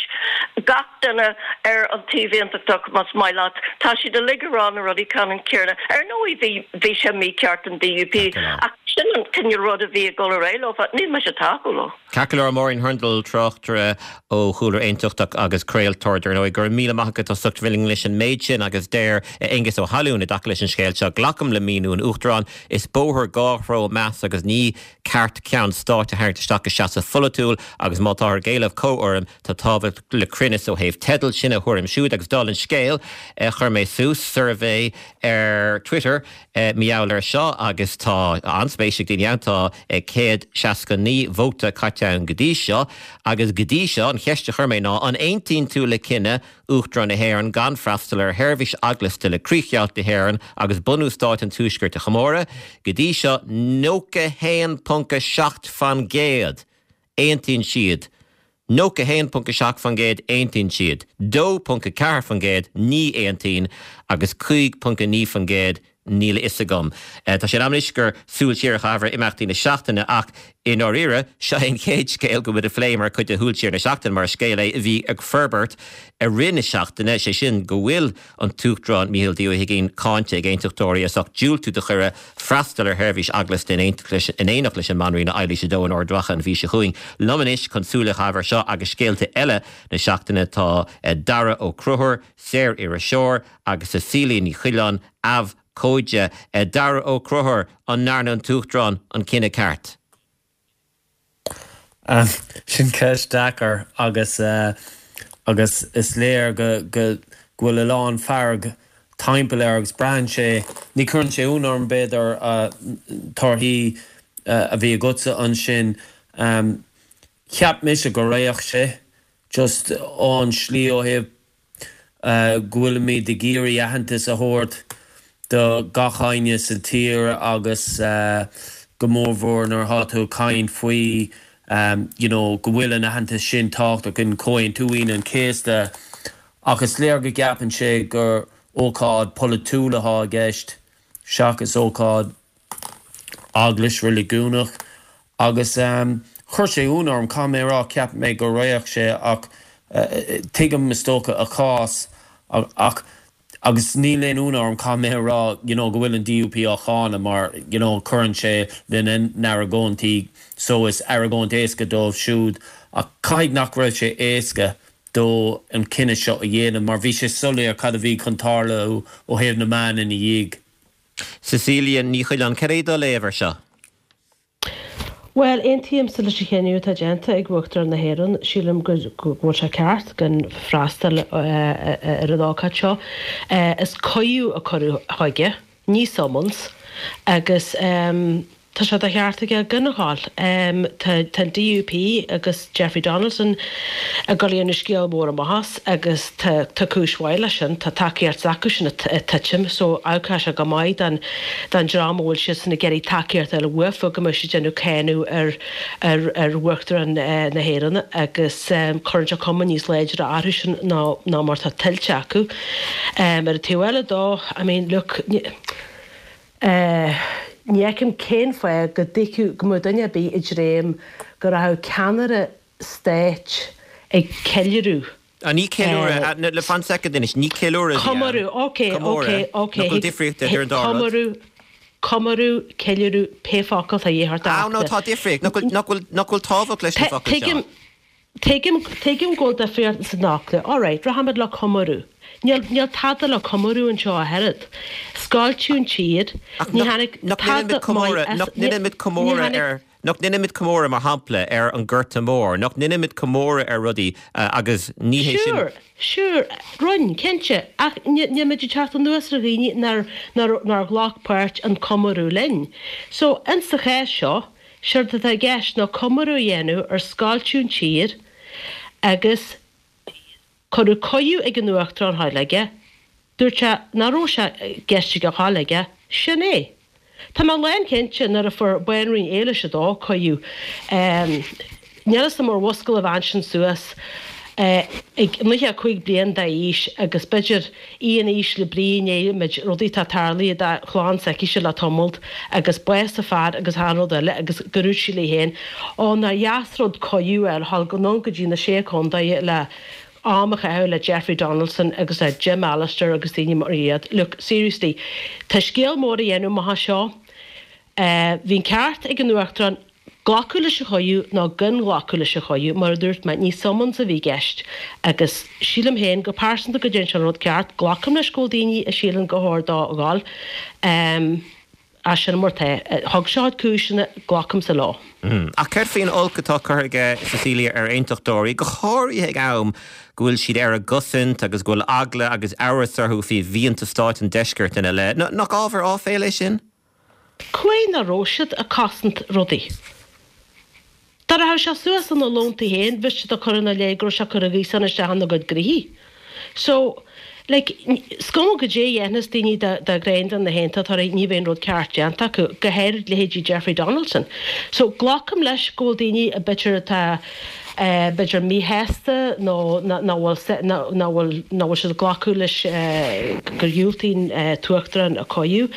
[SPEAKER 4] gach duine ar an taobh aontachtach más maith leat, tá siad uilig ag rá na rudaí ceannann céanna. Ar ndóigh bhí bhí sé mícheart an DUP ach sin an cineál rud a bhí ag dul ar aghaidh leofa, níl mise ag tacú leo.
[SPEAKER 1] Ceart go leor, Máirín Hurndall, tráchtaire ó chúlra aontachtach agus craoltóir, dar ndóigh. Go raibh míle maith agat as ucht a bheith linn leis an méid sin agus deir Aengus Ó hAlúin i dtaca leis an scéal seo, Glacaim le míniú an Uachtaráin. Is bóthar dhá threo meas agus ní ceart ceann stáit a tharraingt isteach i seasamh pholaitiúil agus má táthar ag éileamh comhurraim tá tábhacht le cruinneas ó thaobh teidil. Sin a thuairim siúd agus dála an scéil chuir mé suas suirbhé ar Twitter mar gheall air seo agus tá an-spéis ag daoine ann. Tá 169 vóta caite ann go dtí seo agus go dtí seo an cheist a chuir mé ná an aontaíonn tú le cinneadh Uachtarán na hÉireann gan freastal ar sheirbhís eaglasta le críochdheighilt na hÉireann agus bunú Stáit an Tuaiscirt a chomóradh? Go dtí seo 91.7 fan gcéad aontaíonn siad 91.7% aontaíonn siad, 2.4% ní aontaíonn agus 5.9% níl a fhios agam. Tá sé in am anois gur súil siar a chaitheamh ar imeachtaí na seachtaine ach i ndáiríre, seo é an chéad scéal go bhfuil muid a phlé mar chuid de Shúil Siar na Seachtaine mar is scéal é a bhí ag forbairt i rith na seachtaine, sé sin go bhfuil an tUachtarán Micheál D. Ó hUigínn cáinte ag aontachtóirí as ucht diúltú do chuireadh freastal ar sheirbhís eaglasta in éineacht leis an mBanríon Eilís a Dó in Ard Mhacha an mhí seo chugainn. Liom anois chun súil a chaitheamh ar seo agus scéalta eile na seachtaine tá Daragh Ó Conchúir, saor-iriseoir, agus Cecilia Ní Choileáin, abhcóide. Daragh Ó Conchúir, an ndearna an tUachtarán an cinneadh ceart?
[SPEAKER 5] Sin ceist deacair agus agus is léir go go bhfuil a lán fearg timpeall air agus braitheann sé, ní chuireann sé ionadh orm b'fhéidir torthaí a bhí agatsa ansin. Cheap mise go raghadh sé just ón slí ó thaobh go bhfuilimid ag iarraidh aitheantas a thabhairt do gach éinne sa tír agus go mórmhór nuair atá tú ag caint faoi you know go bhfuil an aitheantas sin tábhachtach in Comhaontú Aoine an Chéasta ach is léir go gceapann sé gur ócáid polaitiúil atá i gceist seachas ócáid eaglais reiligiúnach agus chuir sé ionadh orm, caithfidh mé a rá, cheap mé go raghadh sé ach tuigim is dócha a chás ach agus níl aon ionadh orm, caithfidh mé a rá, you know go bhfuil an DUP á cháineadh mar you know cuireann sé lena n-argóintí so is argóint éasca dóibh siúd ach caithfidh nach raibh sé éasca dó an cinneadh seo a dhéanamh mar bhí sé soiléir cad a bhí chun tarlú ó thaobh na meán ina dhiaidh.
[SPEAKER 1] Cecilia Ní Choileáin, cad é do léamh ar seo?
[SPEAKER 6] Bhuel, aontaímse leis an chinneadh atá déanta ag Uachtarán na hÉireann. Sílim go bhfuil sé ceart gan freastal ar an ócáid seo. Is cuireadh a cuireadh chuige, ní summons, agus Tá sé de cheart aige gan a ghabháil. Tá an DUP agus Jeffrey Donaldson ag dul a dhéanamh scéal mór amach as agus tá cúis mhaith leis sin. Tá tacaíocht s'acusan ag titim so amharcfaidh sé go maith don dream a bhfuil siadsan ag iarraidh tacaíocht a fháil uafa go mbeidh siad ag déanamh cáineadh ar ar Uachtarán na hÉireann agus cuireann sé cuma níos láidre orthu sin ná mar atá tuillte acu. Ar an taobh eile dó, I mean, look, eh. Ní fheicim cén fáth go dtuigfeadh, go mbeadh duine ar bith ag dréim go rachadh ceannaire stáit ag ceiliúradh.
[SPEAKER 1] Ah, ní ceiliúradh, le fan soicind anois, ní ceiliúradh a bhí ann.
[SPEAKER 6] Comóradh, ok, ok, ok.
[SPEAKER 1] Nach bhfuil difríocht idir an dá rud?
[SPEAKER 6] Comóradh, comóradh, ceiliúradh, pé focal atá a dhíth ort a
[SPEAKER 1] Ah, no, tá difríocht, nach bhfuil, nach bhfuil, nach bhfuil tábhacht leis na focail seo?
[SPEAKER 6] Tuigim, Tuigim, tuigim go bhfuil difríocht sna focla. Alright, rachaimid le comóradh. Níl, níl tada le comóradh anseo ach oiread. Scoilteadh an tír,
[SPEAKER 1] Ach
[SPEAKER 6] ní
[SPEAKER 1] nach,
[SPEAKER 6] tháinig
[SPEAKER 1] nach
[SPEAKER 6] tada
[SPEAKER 1] ndéanaimid comóradh,
[SPEAKER 6] maith as,
[SPEAKER 1] nach
[SPEAKER 6] ní,
[SPEAKER 1] ndéanaimid
[SPEAKER 6] ní
[SPEAKER 1] comóradh
[SPEAKER 6] tháinig,
[SPEAKER 1] ar, nach ndéanaimid comóradh, mar shampla, ar an Gorta Mór, nach ndéanaimid comóradh ar rudaí agus ní hé sin.
[SPEAKER 6] Sure, sure, rinne, cinnte, ach ní, níl muid ag teacht anuas ar dhaoine nár, nár, nár ghlac páirt an comóradh linn. So, insa chás seo, Séard atá i gceist ná comóradh a dhéanamh ar scoilteadh an tír agus cuireadh cuireadh ag an Uachtarán a ghabháil aige, dúirt sé nach raibh sé i gceist aige a ghabháil aige, sin é. Tá mé lánchinnte nuair a fuair Banríon Éilis a Dó cuireadh, níl fhios a'm ar mhuscail an bhean sin suas ag 95 bliain d'aois agus b'fhéidir í in ísle brí i ndiaidh an méid rudaí atá tarlaithe dá chlann s'aicise le tamalt agus bás a fear agus achan rud eile agus go ndúirt sí léi féin, Ó, nár dheas rud cuireadh a fháil dhul anonn go dtí na Sé Contae le am a chaitheamh le Jeffrey Donaldson agus le Jim Allister agus daoine mar iad. Look, seriously, tá scéal mór á dhéanamh amach as seo. Bhí an ceart ag an Uachtarán glacadh leis an chuireadh nó gan ghlacadh leis an chuireadh, mar a dúirt mé, ní summons a bhí i gceist agus sílim féin go pearsanta go dtearn sé an rud ceart. Glacaim leis go bhfuil daoine a síleann gur chóir dó a ghabháil ach sin mar atá. Thug sé a chuid cúiseanna, glacaimse leo.
[SPEAKER 1] Ach céard faoin olc atá curtha aige, Cecilia, ar aontachtóirí, go háirithe ag am go bhfuil siad ar a gcosaint agus go bhfuil eagla agus amhras orthu faoi mhianta stáit an deiscirt ina leith? Nach ábhar áiféala é sin?
[SPEAKER 6] Cá huair nach raibh siad ag cosaint rudaí. Dá rachadh sé suas ina lontaí féin bheadh siad ag cur ina leith go raibh sé ag cur a ghaosán isteach ina gcuid gnoithí. So, like, is cuma goidé a dhéanfas daoine de ghreim de na hAontachtóirí ní bheidh an rud ceart déanta acu, go háirid leithéidí Jeffrey Donaldson. So, glacaim leis go bhfuil daoine b'fhéidir atá b'fhéidir míshásta nó nach bhfuil nach bhfuil nach bhfuil siad ag glacadh leis gur dhiúltaigh an tUachtarán a cuireadh.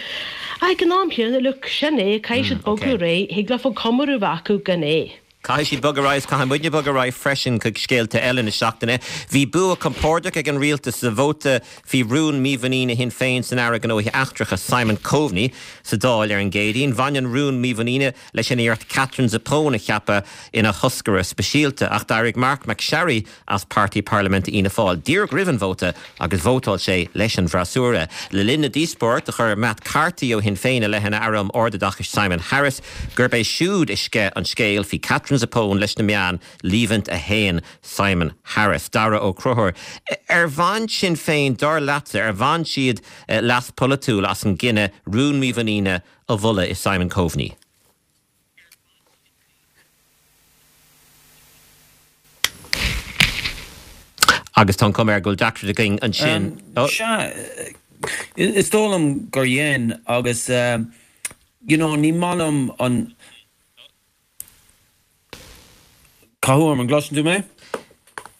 [SPEAKER 6] Ach ag an am chéanna, look, sin é, caithfidh siad bogadh ar aghaidh, thig leofa comóradh a bheith acu gan é.
[SPEAKER 1] Caithfidh siad bogadh ar aghaidh is caithfidh muidne bogadh ar aghaidh freisin chuig scéalta eile na seachtaine. Bhí bua compordach ag an rialtas sa vóta faoi rún mímhuiníne Shinn Féin san Aire Gnóthaí Eachtracha Simon Coveney sa Dáil ar an gCéadaoin. Bhain an rún mímhuiníne leis an iarracht Katherine Zappone a cheapadh ina thoscaire speisialta, ach d'éirigh Marc MacSharry as páirtí parlaiminte Fhianna Fáil díreach roimh an vóta agus vótáil sé leis an bhfreasúra. Le linn na díospóireachta, chuir Matt Carthy ó Shinn Féin i leith an Aire um Ardoideachais Simon Harris gurb é siúd a sceith an scéal faoi Katherine Zappone leis na meáin, Líomhaint a shéan Simon Harris. Dara Ó Conchúir, Ar bhain Sinn Féin, dar leatsa, ar bhain siad leas polaitiúil as an gcinneadh rún mímhuiníne a mholadh i Simon Coveney. Agus tá an chuma air go bhfuil deacracht againn ansin.
[SPEAKER 5] Sea, is dóigh liom gur dhein agus you know ní maith liom an. Cathú orm, an gcloiseann tú mé?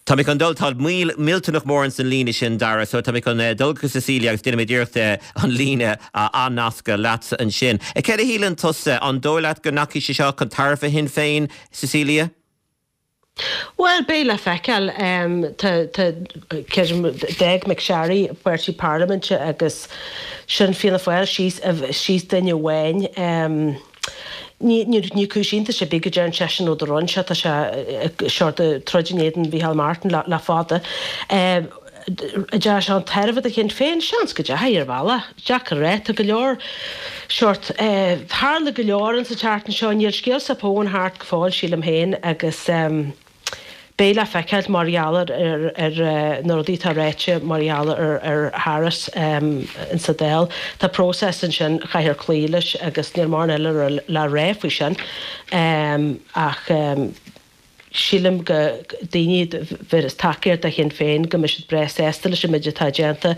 [SPEAKER 1] Tá mé chun dul, tá moill millteanach mór ins an líne sin, Dara, so tá mé chun dul go Cecilia agus déanfaidh muid iarracht an líne a athnascadh leatsa ansin. Céard a shíleann tusa, an dóigh leat go ndeachaigh sé seo chun tairbhe Shinn Féin, Cecilia?
[SPEAKER 6] Bhuel, beidh le feiceáil. Tá, tá, creidim, d'fhág MacSharry páirtí parlaiminte agus sin Fianna Fáil síos, síos duine amháin. Ní, ní, ní cúis iontais ar bith go dtearn seisean an rud a rinne sé, tá sé ag sórt ag troid in éadan Mhícheál Martin le, le fada. An ndeachaigh sé chun tairbhe do Shinn Féin? Seans go dteachaigh, ar bhealach. Deacair a rá. Tá go leor sórt, tharla go leor insa tseachtain seo. Níl scéal Zappone thart go fóill, sílim féin, agus beidh le feiceáil mar gheall ar ar na rudaí atá ráite mar gheall ar ar Harris insa Dáil. Tá próiseas ansin, caithfear cloí leis agus níl mórán eile le rá faoi sin ach sílim go daoine a bhéaras tacaíocht do Shinn Féin go mbeidh siad breá sásta leis an méid atá déanta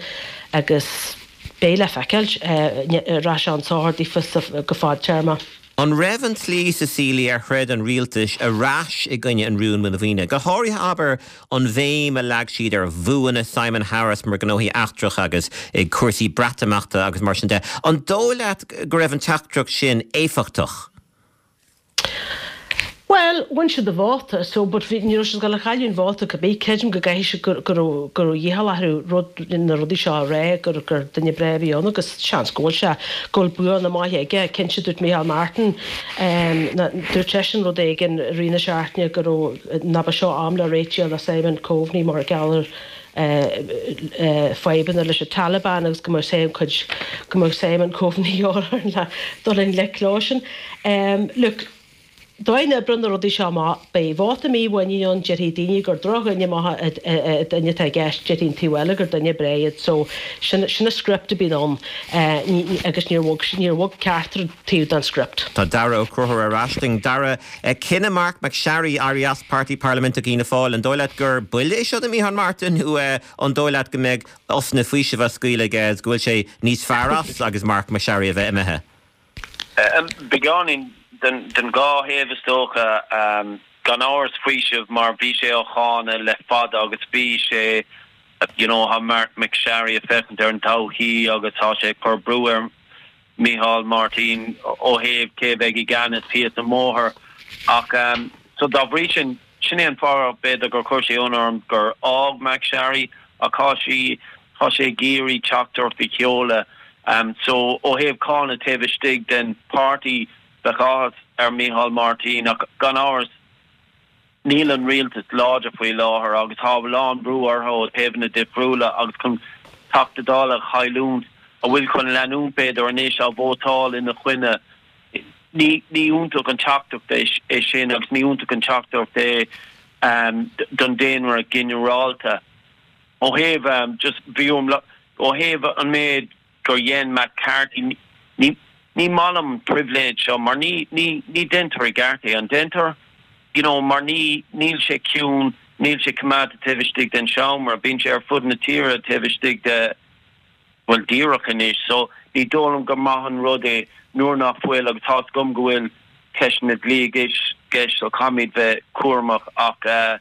[SPEAKER 6] agus beidh le feiceáil an rachaidh sé chun sochair daofa go fadtéarmach.
[SPEAKER 1] An raibh an tslí, Cecilia, ar throid an rialtas ar ais i gcoinne an rúin mhuinmhaoine, go háirithe, abair, an bhéim a leag siad ar bhuanna Simon Harris mar gnóthaí eachtrach agus i gcúrsaí Breatimeachta agus mar sin de, an dóigh leat go raibh an teachtaireacht sin éifeachtach?
[SPEAKER 6] Bhuel, bhain siad an vóta, so, but bhí, ní raibh siad ag dul a chailleadh an vóta cibé. Creidim go gcaithfidh siad go, go raibh, go raibh iachall orthu rud, na rudaí seo a rá, gur, gur duine breá a bhí ann agus seans go bhfuil sé, go bhfuil buanna maithe aige. Cinnte, dúirt Micheál Martin, ehm, na, dúirt seisean rud éigin i rith na seachtaine go raibh, nach ba seo am le réitigh le Simon Coveney mar gheall ar, eh, fadhbanna leis an Taliban agus go mbeadh Simon cuid, go mbeadh Simon Coveney orthu le dul i ngleic leo sin. Ehm, look, Dóigh a n-oibreoidh na rudaí seo amach, beidh vóta mímhuiníne ann, déarfaidh daoine gur drochdhuine maith an duine atá i gceist, déarfaidh an taobh eile gur duine breá iad. So, sin sin an script a bhíonn ann agus níor bhog níor bhog ceachtar taobh den script.
[SPEAKER 1] Tá Daragh Ó Conchúir ar ais linn. Daragh, cinneadh Marc MacSharry éirí as Páirtí Parlaiminteach Fhianna Fáil, an dóigh leat gur buille é seo do Micheál Martin nó an dóigh leat go mbeidh osna faoisimh á scaoileadh aige agus go bhfuil sé níos fearr as agus Marc MacSharry a bheith imithe?
[SPEAKER 7] Beagáinín den dhá thaobh is dócha. Gan amhras faoiseamh mar bhí sé á cháineadh le fada agus bhí sé, you know, tá Marc MacSharry ag féachaint ar an todhchaí agus tá sé ag cur brú ar Micheál Martin ó thaobh cé a bheidh i gceannas thíos an bóthar. Ach so dá bhrí sin, sin é an fáth b'fhéidir gur chuir sé ionadh orm gur fhág MacSharry ach tá sí, Tá sé ag iarraidh teachtaireacht a sheoladh. So, ó thaobh cáineadh taobh istigh den páirtí, bheadh áthas ar Micheál Martin ach gan amhras níl an rialtas láidir faoi láthair agus tá a lán brú orthu ó thaobhanna difriúla agus chun Teachta Dála a chailliúint, a bhfuil chun leanúint b'fhéidir anois á vótáil ina choinne, ní iontach an teachtaireacht é sin agus ní iontach an teachtaireacht é don daonra ginearálta. Ó thaobh just bhí orm ó thaobh an méid gur dhein McCarthy ní ní maith liom an pribhléid seo mar ní ní ní deintear i gceart é an deintear? You know mar ní níl sé ciúin níl sé coimeádta taobh istigh den seomra bíonn sé ar fud na tíre taobh istigh de bhuel díreach anois so ní dóigh liom gur maith an rud é nuair nach bhfuil agus tá's agam go bhfuil ceisteanna dlí i gceist so caithfimid bheith cúramach ach eh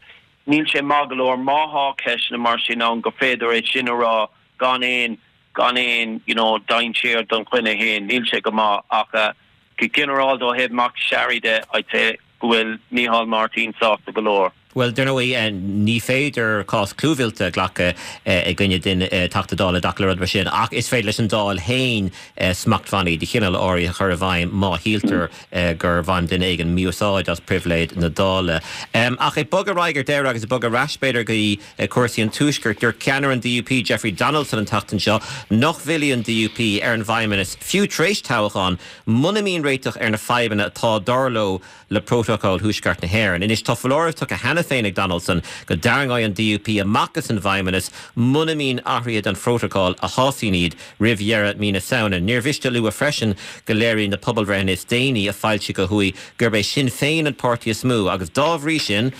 [SPEAKER 7] Níl sé maith go leor má thá ceisteanna mar sin ann gur féidir é sin a rá gan aon, gan aon, you know, dainséar don dhuine fhéin. Níl sé go maith ach go ginearálta ó thaobh MacSharry de, I'd say go bhfuil Micheál Martin sásta go leor.
[SPEAKER 1] Bhuel, dar ndóigh, ní féidir cás clúmhillte a ghlacadh i gcoinne duine, Teachta Dála i dtaca le rud mar sin, ach is féidir leis an Dáil féin smachtbhannaí de chineál áirithe a chur i bhfeidhm má shíltear gur bhain duine éigin mí-úsáid as pribhléid na Dála. Ach ag bogadh ar aghaidh ar deireadh agus ag bogadh ar ais b'fhéidir go dtí cúrsaí an Tuaiscirt, dúirt ceannaire an DUP, Jeffrey Donaldson an tseachtain seo nach bhfillfidh an DUP ar an bhFeidhmeannas, fiú tar éis toghcháin, muna mbíonn réiteach ar na fadhbanna atá, dar leo, le Prótacal Thuaisceart na hÉireann. Anois tá foláireamh tugtha cheana féin ag Donaldson go dtarraingeoidh an DUP amach as an bhFeidhmeannas muna mbíonn athruithe don Phrótacal a shásaíonn iad roimh dheireadh mí na Samhna. Níor mhiste a lua freisin go léiríonn na pobalbhreitheanna is déanaí a foilsíodh ó thuaidh gurb é Sinn Féin an páirtí is mó agus dá bhrí sin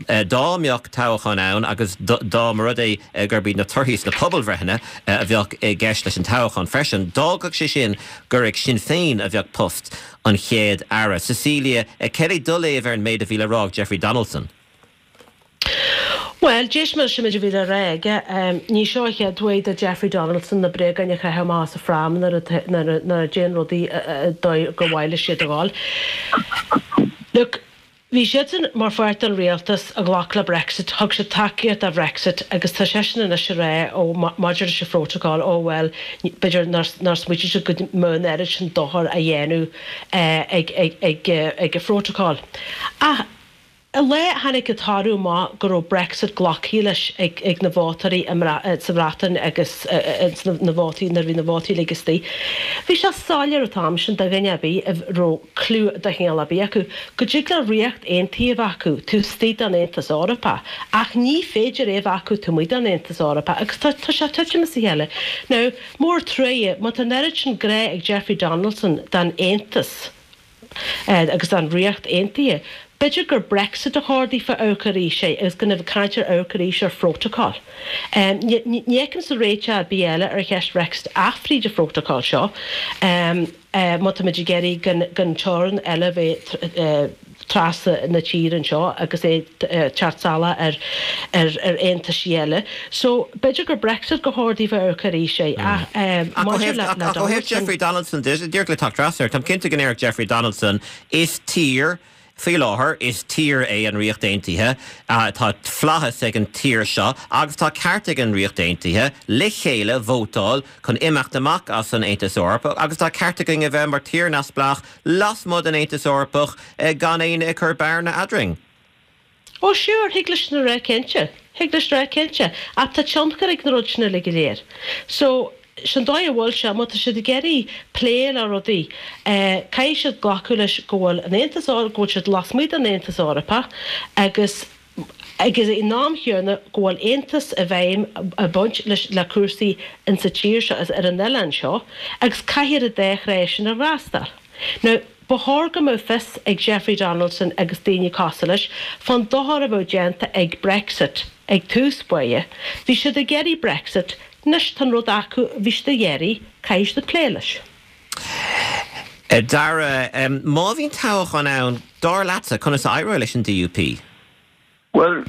[SPEAKER 1] dá mbeadh toghchán ann agus dá mba rud é gurb iad na torthaí sna pobalbhreitheanna a bheadh i gceist leis an toghchán freisin, d'fhágfadh sé sin gur ag Sinn Féin a bheadh post an Chéad Aire. Cecilia, céard é do léamh ar an méid a bhí le rá ag Jeffrey Donaldson?
[SPEAKER 6] Bhuel, d'éist mé leis an méid a bhí le rá aige. Ní seo an chéad uair do Jeffrey Donaldson na bréagáin a chaitheamh amach as a phrám nuair nach dtéann rudaí an dóigh gur mhaith leis iad a dhul. Look, bhí siadsan mar pháirt den rialtas a ghlac le Brexit, thug siad tacaíocht do Bhrexit agus tá seisean anois ag rá ó maidir leis an phrótacal, ó bhuel, b'fhéidir nár smaoitigh siad go mbeadh an oiread sin dochair á dhéanamh ag ag an phrótacal. Ach An lá a tháinig an toradh amach go raibh Brexit glactha leis ag na vótóirí sa Bhreatain agus na vótaí, nuair a bhí na vótaí uilig istigh, bhí sé soiléir an t-am sin do dhuine ar bith a raibh cliú de chineál ar bith acu, go dtig le Ríocht Aontaithe a bheith acu taobh istigh den Aontas Eorpach ach ní féidir é a bheith acu taobh amuigh den Aontas Eorpach agus tá sé ag titim as a chéile. Now, mór truaighe, má tá an oiread sin grá ag Jeffrey Donaldson don Aontas, agus don Ríocht Aontaithe. B'fhéidir gur Brexit a chóir daofa amharc arís air agus gan a bheith ag caint ar amharc arís ar phrótacal. Ní fheicimse réiteach ar bith eile ar cheist Bhrexit ach fríd an phrótacal seo. Má táimid ag iarraidh gan teorainn eile a bheith trasna na tíre anseo agus é teacht salach ar aontaisí eile. So, b'fhéidir gur Brexit gur chóir daofa amharc arís air ach
[SPEAKER 1] maidir le Ach ó thaobh Jeffrey Donaldson de, díreach le teacht trasna air, táim cinnte go ndéarfadh Jeffrey Donaldson, is tír, faoi láthair, is tír é an Ríocht Aontaithe, tá flaitheas ag an tír seo agus tá ceart ag an Ríocht Aontaithe le chéile vótáil chun imeacht amach as an Aontas Eorpach agus tá ceart againn a bheith mar tír neamhspleách lasmuigh den Aontas Eorpach gan éinne ag cur bearna eadrainn.
[SPEAKER 6] Ó sure, thig leis sin a rá cinnte. Thig leis rá cinnte. Ach tá tionchar ag na rudaí sin uilig go léir. So, sin dóigh a bhfuil sé, má tá siad ag iarraidh plé le rudaí, caithfidh siad glacadh leis go bhfuil an Aontas Eorpach, go bhfuil siad lasmuigh den Aontas Eorpach agus agus ag an am chéanna go bhfuil aontas i bhfeidhm ag baint leis le cúrsaí insa tír seo is ar an oileán seo agus caithfear an dá thrá sin a fhreastal. Now, ba chóir go mbeadh fios ag Jeffrey Donaldson agus daoine cosúil leis fán dochar a bheadh déanta ag Brexit ag tús báire. Bhí siad ag iarraidh Brexit, anois tá an rud acu a bhí siad ag iarraidh, caithfidh siad plé leis.
[SPEAKER 1] Dara, má bhíonn toghchán ann, dar leatsa, conas a éireoidh leis an DUP?
[SPEAKER 7] Bhuel,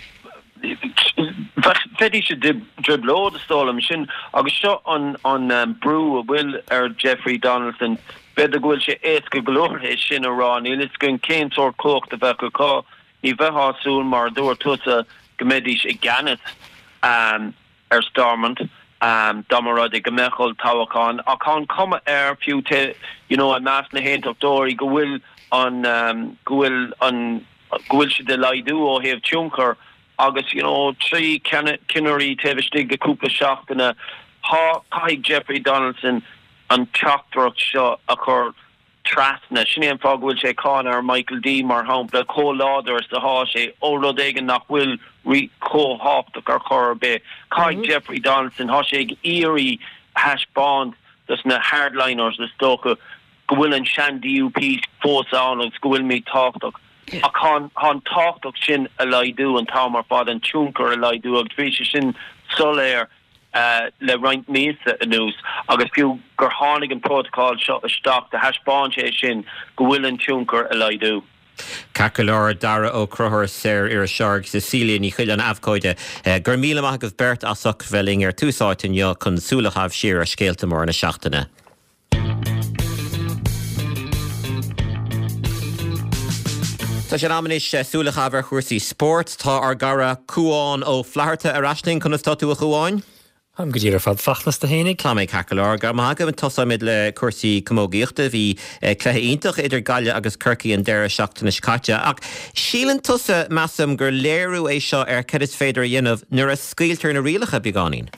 [SPEAKER 7] bheidís i dtrioblóid, is dóigh liom, sin agus seo an brú a bhfuil ar Jeffrey Donaldson. B'fhéidir go bhfuil sé éasca go leor é sin a rá, níl a fhios againn cén sórt cumhacht a bheadh acu. Ní bheifeá ag súil, mar a dúirt tusa, go mbeidís i gceannas ar Stormont dá mba rud é go mbeadh olltoghchán. Ach tá an chuma air, fiú you know i measc na hAontachtóirí, go bhfuil an go bhfuil an go bhfuil siad ag laghdú ó thaobh tionchair agus you know 3 cinnirí taobh istigh de cúpla seachtaine, tá, caithfidh Jeffrey Donaldson an teachtaireacht seo a chur trasna. Sin é an fáth go bhfuil sé ag cáineadh ar Michael D mar shampla, chomh láidir is atá sé, ó rud éigin nach bhfuil chomh tábhachtach ar chor ar bith. Caithfidh Jeffrey Donaldson, tá sé ag iarraidh thaispeáint dos na hardliners is dócha, go bhfuil an sean-DUP fós ann agus go bhfuilimid tábhachtach. Ach tá an tábhacht sin ag laghdú an t-am ar fad, an tionchar ag laghdú agus bhí sé sin soiléir le roinnt míosa anuas agus fiú gur tháinig an prótacal seo isteach do thaispeáin sé sin go bhfuil an tionchar ag laghdú.
[SPEAKER 1] Ceart go leor, Dara Ó Conchúir, saor-iriseoir agus Cecilia Ní Choileáin, abhcóide. Go raibh míle maith agaibh beirt as ucht bheith linn ar Tús Áite inniu chun súil a chaitheamh siar ar scéalta móra na seachtaine. Tá sé in am anois súil a chaitheamh ar chúrsaí spóirt. Tá ár gcara Cúán Ó Flatharta ar ais linn. Conas tá tú a Chúáin?
[SPEAKER 8] Táim go diail ar fad. Fachtna, 's tú fhéinig?
[SPEAKER 1] Tá mé ceart go leor. Go raibh maith agat. Tosóimid le cúrsaí camógaíochta. Bhí cluiche iontach idir Gaillimh agus Corcaigh an deireadh seachtaine seo caite. Ach síleann tusa, measaim, gur léiriú é seo ar cad is féidir a dhéanamh nuair a scaoiltear na rialacha beagáinín.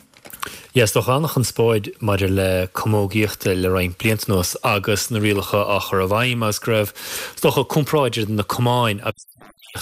[SPEAKER 8] Yeah, is dócha an-chonspóid maidir le camógaíochta le roinnt blianta anuas agus na rialacha á chur i bhfeidhm agus go raibh, is dócha, comparáid idir na camáin agus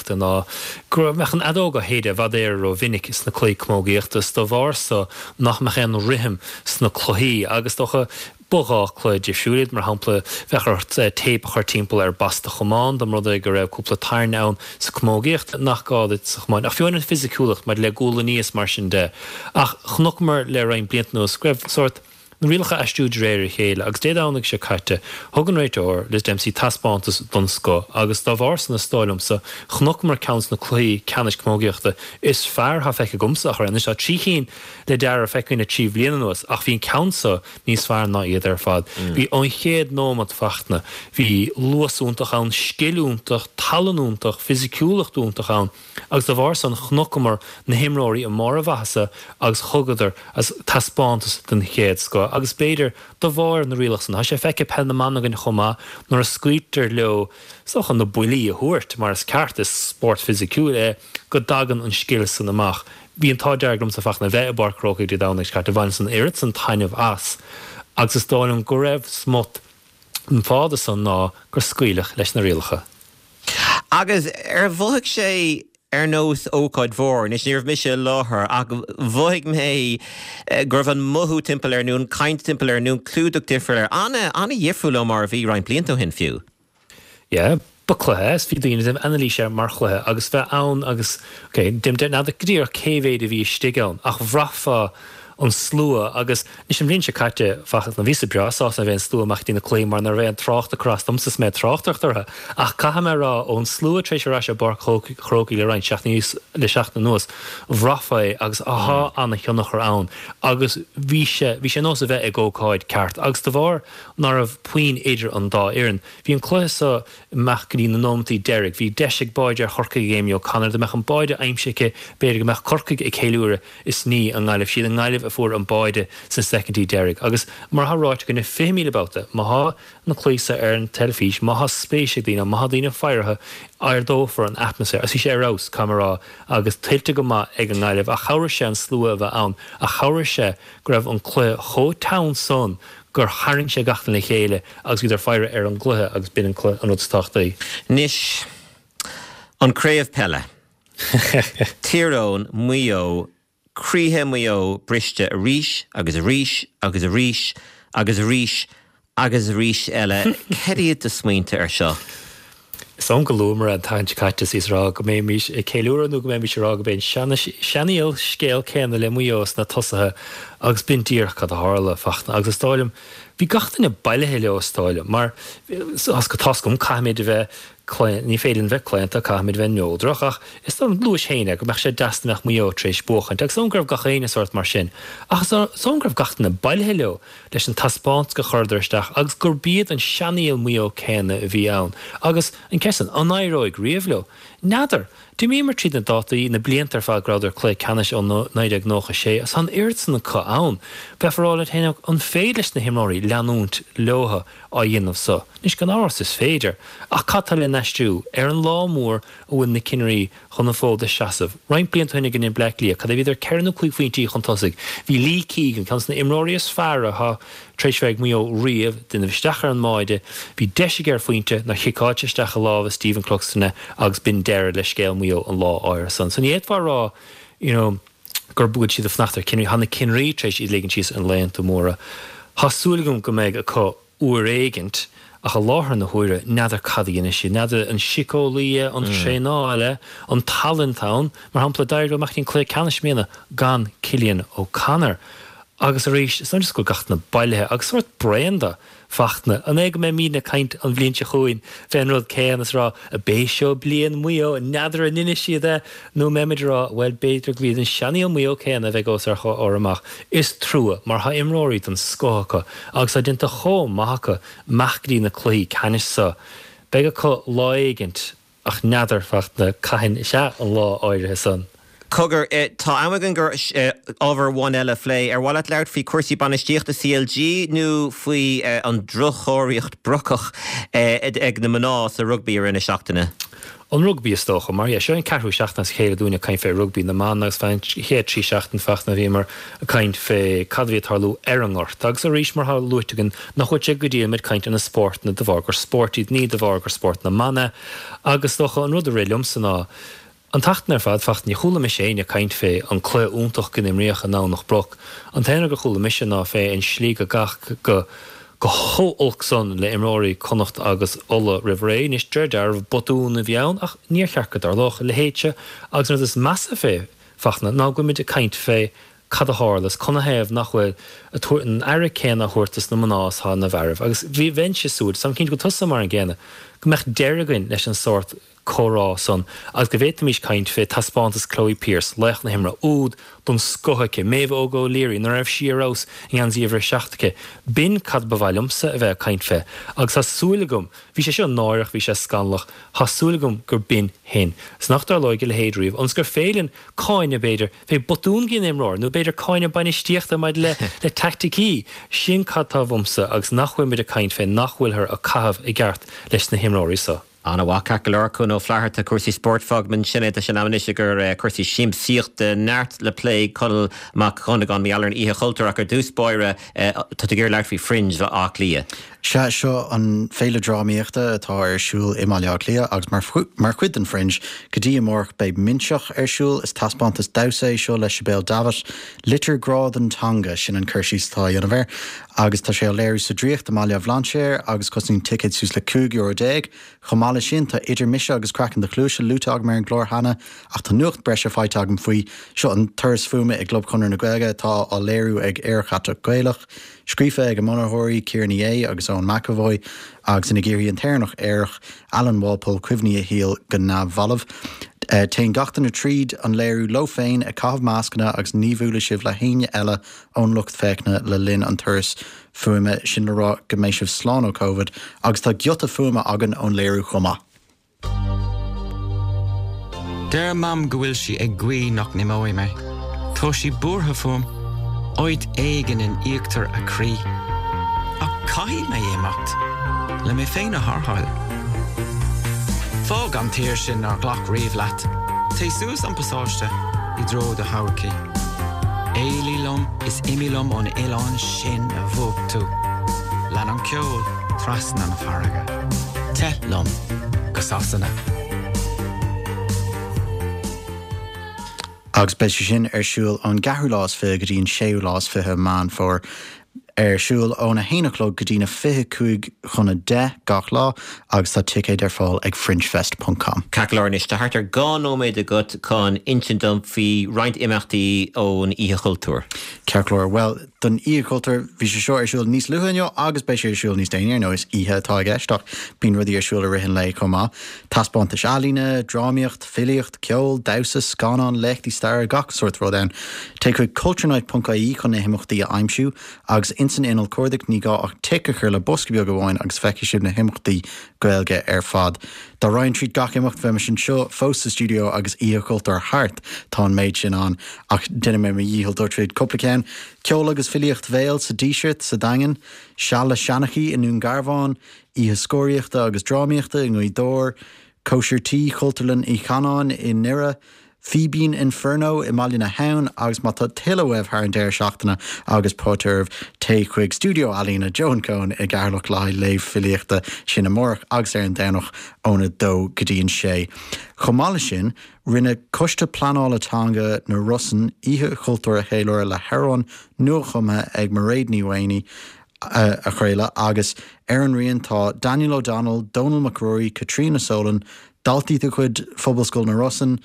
[SPEAKER 8] na ná go mbeadh an fheadóg á shéideadh i bhfad Éireann ró-mhinic sna cluichí camógaíochta is dá bharr so nach mbeadh aon rithim sna cluichí agus is dócha Ba dhá chluiche difriúil iad, mar shampla, bheadh ort téip a chur timpeall ar bas do chamán dá mba rud é go raibh cúpla tairne ann sa chamógaíocht nach gá duit sa chamán. Ach fiú amháin an fisiciúlacht maidir le gualainní is mar sin de. Ach chonaiceamar le roinnt blianta anuas go raibh sórt na rialacha ag aistriú de réir a chéile agus Dé Domhnaigh seo caite thug an réiteoir, Liz Dempsey, taispeántas den scoth agus dá bharr san is dóigh liomsa chonaiceamar ceann de na cluichí ceannais camógaíochta is fearr atá feicthe agamsa ach anois tá 3 chinn le Dara feicthe againn le 3 bhliain anuas ach bhí an ceann so níos fearr ná iad ar fad. Bhí ón chéad nóimeat Fachtna, bhí luas iontach ann, scil iontach, tallann iontach, fisiciúlacht iontach ann agus dá bharr san chonaiceamar na himreoirí i mbarr a mhaitheasa agus thugadar taispeántas den chéad scoth agus b'fhéidir de bharr na rialach san, tá sé feicthe Peil na mBan againn chomh maith nuair a scaoiltear leo is dócha na buillí a thabhairt mar is ceart, is spórt fisiciúil é, go dtagann an scil san amach. Bhí an t-ádh dearg liomsa Fachtna a bheith i bPáirc an Chrócaigh Dé Domhnaigh seo caite, bhaineas an oiread san taitneamh as agus is dóigh liom go raibh smut den fáth de san ná gur scaoileadh leis na rialacha.
[SPEAKER 1] Agus ar mhothaigh sé ar nós ócáid mhór? Anois, ní raibh mise i láthair ach mhothaigh mé go raibh an mothú timpeall air nó an caint timpeall air nó an clúdach difriúil air, an-, an-dhifriúil ó mar a bhí roinnt blianta ó shin fiú.
[SPEAKER 8] Yeah. Ba cluiche é is bhí daoine ag déanamh anailís air mar chluiche agus bheith ann agus, ok, n'fheadar go díreach cé mhéad a bhí istigh ann ach bhraithfeá an slua agus anois an bhliain seo caite Fachtna bhíos-sa breá sásta nuair a bhí an slua amach ag dtí na cluichí mar nach raibh aon trácht ag cur as domsa is mé ag tráchtaireacht orthu ach caithfidh mé a rá ón slua tar éis ar ais i bPáirc Chrócaigh le roinnt seachtainí le seachtain anuas bhraithfeá é agus tá ana-thionchar ann agus bhí sé bhí sé ar nós a bheith ag ócáid ceart agus de bharr ná raibh puinn idir an dá fhoireann Bhí an cluiche so amach go dtí na nóimeataí deiridh. Bhí deis ag báide ar Chorcaigh ag Amy O'Connor. Dá mbeadh an báide aimsithe aici, b'fhéidir go mbeadh Corcaigh ag ceiliúradh is ní an nGaillimh. Siad an nGaillimh a fuair an báide sna soicindí deiridh. Agus mar atá ráite againne 20,000 babhta, má thá na cluichí so ar an teilifís, má thá spéis ag daoine, má thá daoine faire orthu, ardófar an atmaisféar. Agus bhí sé ar fheabhas, caithfidh mé a rá, agus tuillte go maith ag an nGaillimh. Ach chabhraigh sé an slua a bheith ann. Ach chabhraigh sé go raibh an cluiche chomh teann san gur tharraing sé gach duine le chéile agus bhíodar faire ar an gcluiche agus b'in an cluiche an rud is tábhachtaí.
[SPEAKER 1] Anois, an craobh peile. Tír Eoghain, Maigh Eo, croíthe Mhaigh Eo briste arís agus arís agus arís agus arís agus arís eile. Cad iad do smaointe ar seo?
[SPEAKER 8] Is dóigh liom go luamar an tseachtain seo caite is ag rá go mbeimis ag ceiliúradh nó go mbeimis ag rá go b'é an seanfhial scéal céanna le Maigh Eo sna tosaithe agus b'in díreach cad a tharla, Fachtna. Agus is dóigh liom, bhí gach duine bailithe leo is dóigh liom, mar tá's agam, caithfimid a bheith claon, ní féidir linn bheith claonta, caithfimid a bheith neodrach ach is dóigh liom, luais féin é, go mbeadh sé deas dá mbeadh Maigh Eo tar éis buachaint agus is dóigh liom go raibh gach éinne sórt mar sin. Ach is dóigh liom go raibh gach duine bailithe leo. leis an taispeántas a chuireadar isteach agus gurb iad an seanfhial Maigh Eo céanna a bhí ann. Agus an ceist san, an éireoidh riamh leo? N'fheadar. D'imíomar tríd na dátaí, na blianta ar fad go rabhadar cluiche ceannais ó 1996 agus tá an oiread san acu ann. Bheifeá ag rá leat féin an féidir leis na himreoirí leanúint leo á dhéanamh so? Anois gan amhras is féidir. Ach cad tá le n-aistriú? Ar an lá mór a bhfuil na cinnirí chun an fód a seasamh. Roinnt blianta ó shin i gcoinne Bleá Cliath, cad é bhíodar ceithre nó cúig phointí chun tosaigh. Bhí Lee Keegan, ceann de na imreoirí is fearr atá tar éis bheith ag Maigh Eo riamh, déanamh isteach ar an mbáide. Bhí deis aige ar phointe nár chiceáil sé isteach i lámha Stephen Cluxton é agus b'in deireadh le scéal Mhaigh Eo an lá áirithe san. So ní fhéadfá a rá you know gur bhfuil siad ag fanacht ar cinnirí. Tá na cinnirí tar éis iad ligean síos ar laethanta móra. Tá súil agam go mbeidh acu uair éigint, ach i láthair na huaire, n'fheadar cad a dhéanfaidh siad, n'fheadar an síceolaí é, an traenáil é, an tallann atá ann. Mar shampla, d'éirigh leo amach go dtí an cluiche ceannais i mbliana gan Cillian O'Connor. Agus arís, is dóigh liom go bhfuil gach duine bailithe agus sórt bréan de. Fachtna, an é go mbeimidne ag caint an bhliain seo chugainn fén rud céanna is a rá, ab é seo bliain Mhaigh Eo, n'fheadar an ndéanfaidh siad é, nó an mbeimid ag rá, bhuel, b'fhéidir gurb iad an seanfhial Maigh Eo céanna a bheidh os ár gcomhair amach. Is trua, mar tá imreoirí den scoth acu agus tá déanta chomh maith acu amach go dtí na cluichí ceannais so. Beidh acu lá éigint ach n'fheadar, Fachtna, cathain is ea an lá áirithe san.
[SPEAKER 1] Cogar, tá am againn gur ábhar amháin eile a phlé. Ar mhaith leat labhairt faoi chúrsaí bainistíochta CLG nó faoi an droch-chóiríocht brocach ag na mná sa rugbaí i rith na seachtaine?
[SPEAKER 8] An rugbaí is dócha, mar yeah, seo an ceathrú seachtain as a chéile dúinn ag caint fé rugbaí na mban agus fé an chéad trí seachtain Fachtna bhíomar ag caint fé cad a bhí ag tarlú ar an ngort agus arís mar atá luaite againn nach bhfuil sé go diail muid caint ar na spórtanna de bharr gur spóirt iad ní de bharr gur spórt na mban é agus is dócha an rud a rith liomsa ná An tseachtain ar fad, Fachtna, ní chuala mise éinne ag caint fé an cluiche iontach go n-imríodh i nDomhnach Broc. An t-aon rud gur chuala mise ná fé an slí go gcaitheadh go go chomh olc san le imreoirí Connacht agus Uladh roimh ré. Anois, de réir dealraimh, botún a bhí ann ach níor cheart go dtarlódh a leithéid seo agus an rud is measa fé, Fachtna, ná go bhfuilimid ag caint fé cad a tharla is canathaobh nach bhfuil a tabhairt an aire céanna á thabhairt dos na mná is atá na fearaibh. Agus bhí, bheinnse ag súil, táim cinnte go bhfuil tusa mar an gcéanna, go mbeadh deireadh againn leis an sórt comhrá san agus go bhféadfaimis caint fé taispeántas Chloe Pearse, laoch na himeartha, úd den scoth aici, Méabh Óg O'Leary, nuair a raibh sí ar fheabhas i ngeansaí uimhir a 7 aici. B'in cad ba mhaith liomsa a bheith ag caint fé. Agus tá súil agam, bhí sé seo náireach, bhí sé scannalach, tá súil agam gur b'in shin. 's nach dtarlóidh a leithéid riamh, ionas gur féidir linn cáineadh, b'fhéidir, fé botún gin imreoir, nó b'fhéidir cáineadh bainistíochta maidir le le teaicticí. Sin cad tá uaimse agus nach bhfuil muid ag caint fé nach bhfuilthear ag caitheamh i gceart leis na himreoirí so.
[SPEAKER 1] Ana-mhaith, ceart go leor, Cuan Ó Flatharta, cúrsaí spóirt, fágfaimid ansin é, tá sé in am anois i gcomhair cúrsaí siamsaíochta, neart le plé, Conall Mac Dhonnagáin, mar gheall ar an Oíche Chultúir ach ar dtús báire, tá tú ag iarraidh labhairt faoi Fringe Bhaile Átha Cliath.
[SPEAKER 9] Sea, seo an féile drámaíochta atá ar siúl i mBaile Átha Cliath agus mar mar chuid den Fringe go dtí amárach beidh Minseach ar siúl. Is taispeántas damhsa é seo le Sibéal Davitt. Litir grá don teanga, sin an cur síos atá á dhéanamh air agus tá sé á léiriú sa Draíocht i mBaile Bhlainséir agus cosnaíonn ticéid suas le €15 euro. Chomh maith leis sin tá Idir Mise agus Craiceann do Chluaise luaite agam ar an gclár cheana ach tá nuacht breise faighte agam faoi. Seo an turas fuaime i gClub Chonradh na Gaeilge atá á léiriú ag Aerach Aiteach Gaelach. Scríofa ag a mbunaitheoirí, Ciara Ní É agus Eoin McEvoy, agus ina gcíorfaidh an tÉireannach aerach, Alan Walpole, cuimhní a shaoil go neamhbhalbh. Téann gach duine tríd an léiriú leo féin, ag caitheamh mascanna agus ní bhuailfidh sibh le héinne eile ón lucht féachana le linn an turais fuaime, sin le rá go mbeidh sibh slán ó Covid, agus tá giota fuaime againn ón léiriú chomh maith.
[SPEAKER 10] Deir Mam go bhfuil sí ag guí nach n-imeoidh mé. Tá sí buartha fúm. Áit éigin in íochtar a croí. Ach caithfidh mé imeacht. Le mé féin a tharrtháil. Fág an tír sin nár ghlac riamh leat. Téigh suas an pasáiste i dtreo do thodhchaí. Éalaigh liom is imigh liom ón oileán sin a mhúch tú. Lean an ceol trasna na farraige. Teith liom go Sasana.
[SPEAKER 9] Agus beidh sé sin ar siúl ón gceathrú lá is fiche go dtí an séú lá is fiche Meán Fómhair. Ar siúl óna haon a chlog go dtí na 25 chun a 10 gach lá agus tá ticéid ar fáil ag fringefest ponc com.
[SPEAKER 1] Ceart go leor anois, tá thart ar 2 nóiméad agat chun insint dom faoi roinnt imeachtaí ón Oíche Chultúir.
[SPEAKER 9] Ceart go leor, bhuel, Don Oíche Chultúir, bhí sé seo ar siúl níos luaithe inniu agus beidh sé ar siúl níos déanaí, ar ndóigh is oíche atá i gceist ach bíonn rudaí ar siúl i rith an lae chomh maith. Taispeántais ealaíne, drámaíocht, filíocht, ceol, damhsa, scannáin, léachtaí staire, gach sórt rud ann. Téigh chuig culturenight.ie chun na himeachtaí a aimsiú agus ins an inneall cuardaigh ní gá ach tic a chur le bosca beag amháin agus feicfidh sibh na himeachtaí Gaeilge ar fad. Dá raghainn tríd gach imeacht bheimis anseo fós sa stiúideo agus Oíche Chultúir thart, tá an méid sin ann. Ach déanfaidh mé mo dhícheall dul tríd cúpla ceann. Ceol agus filíocht bhéil sa Díseart sa Daingean, Seal le Seanchaí i nDún Garbhán, Oíche Scoraíochta agus Drámaíochta i nGaoth Dobhair, Cóisir Tí Chultúrlann Uí Chanáin i nDoire, Fíbín Inferno i mBaile na hAbhann agus má tá tuilleadh uaibh thar an deireadh seachtaine agus póit oraibh, téigh chuig Stiúideo Ealaíne Joan Coen i gCeatharlach le haghaidh léamh filíochta, sin amárach agus ar an Domhnach óna dó go dtí an sé. Chomh maith leis sin, rinne Coiste Pleanála Teanga na Rosann Oíche Chultúir a cheiliúradh le hamhráin nuachumtha ag Mairéad Ní Mhaonaigh a chraoladh agus ar an rian tá Daniel O'Donnell, Dónal Mac Ruairí, Caitríona Solan, Daltaí de chuid Phobalscoil na Rosann,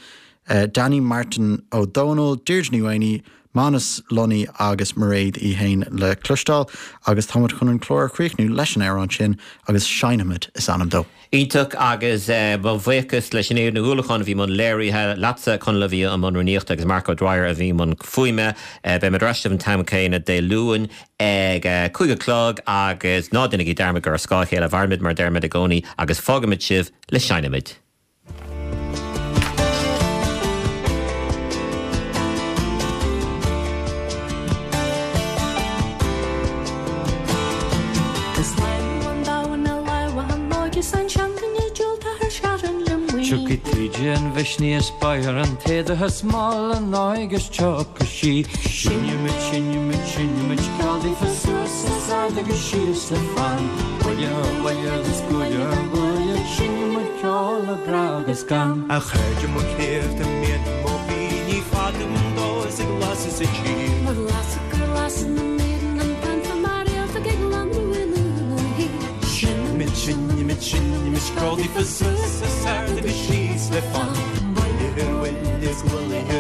[SPEAKER 9] Danny Martin Ó Dónaill, Deirdre Ní Mhaonaigh, Manus Lunny agus Mairéad í fhéin le cloisteáil agus táimid chun an clár a chríochnú leis an amhrán sin agus Seinnfimid is ainm dó.
[SPEAKER 1] Iontach agus mo bhuíochas le Sinéad Ní Uallacháin a bhí i mbun léirithe, leatsa Conall a bhí i mbun rúnaíochta agus Mark O'Dwyer a bhí i mbun fuaime. Beimid ar ais libh an t-am céanna Dé Luain ag a 5 a chlog agus ná déanaigí dearmad gur ar scáth a chéile a mhairimid mar a deirimid i gcónaí agus fágaimid sibh le Seinnfimid.
[SPEAKER 11] Tiocfaidh taoide an mhisnigh is beidh ar an t-éadach is mall an aghaidh is tiocfaidh sí. Seinnfimid, seinnfimid, seinnfimid ceol daofa suas is ard agus síos le fonn. Buille ar bhuille agus buaile ar bhuaile, seinnfimid ceol le grá agus gan.
[SPEAKER 12] A chairde mo chléibh do mian mo mhí ní fada dó is ag lasadh sa tír.
[SPEAKER 13] Mar lasadh gur lasadh na míreanna an panta mar réalta ag lonrú in uaigh.
[SPEAKER 12] Seinnfimid, seinnfimid, seinnfimid ceol daofa suas is ard agus síos le fonn. Buille ar bhuille is buaile ar.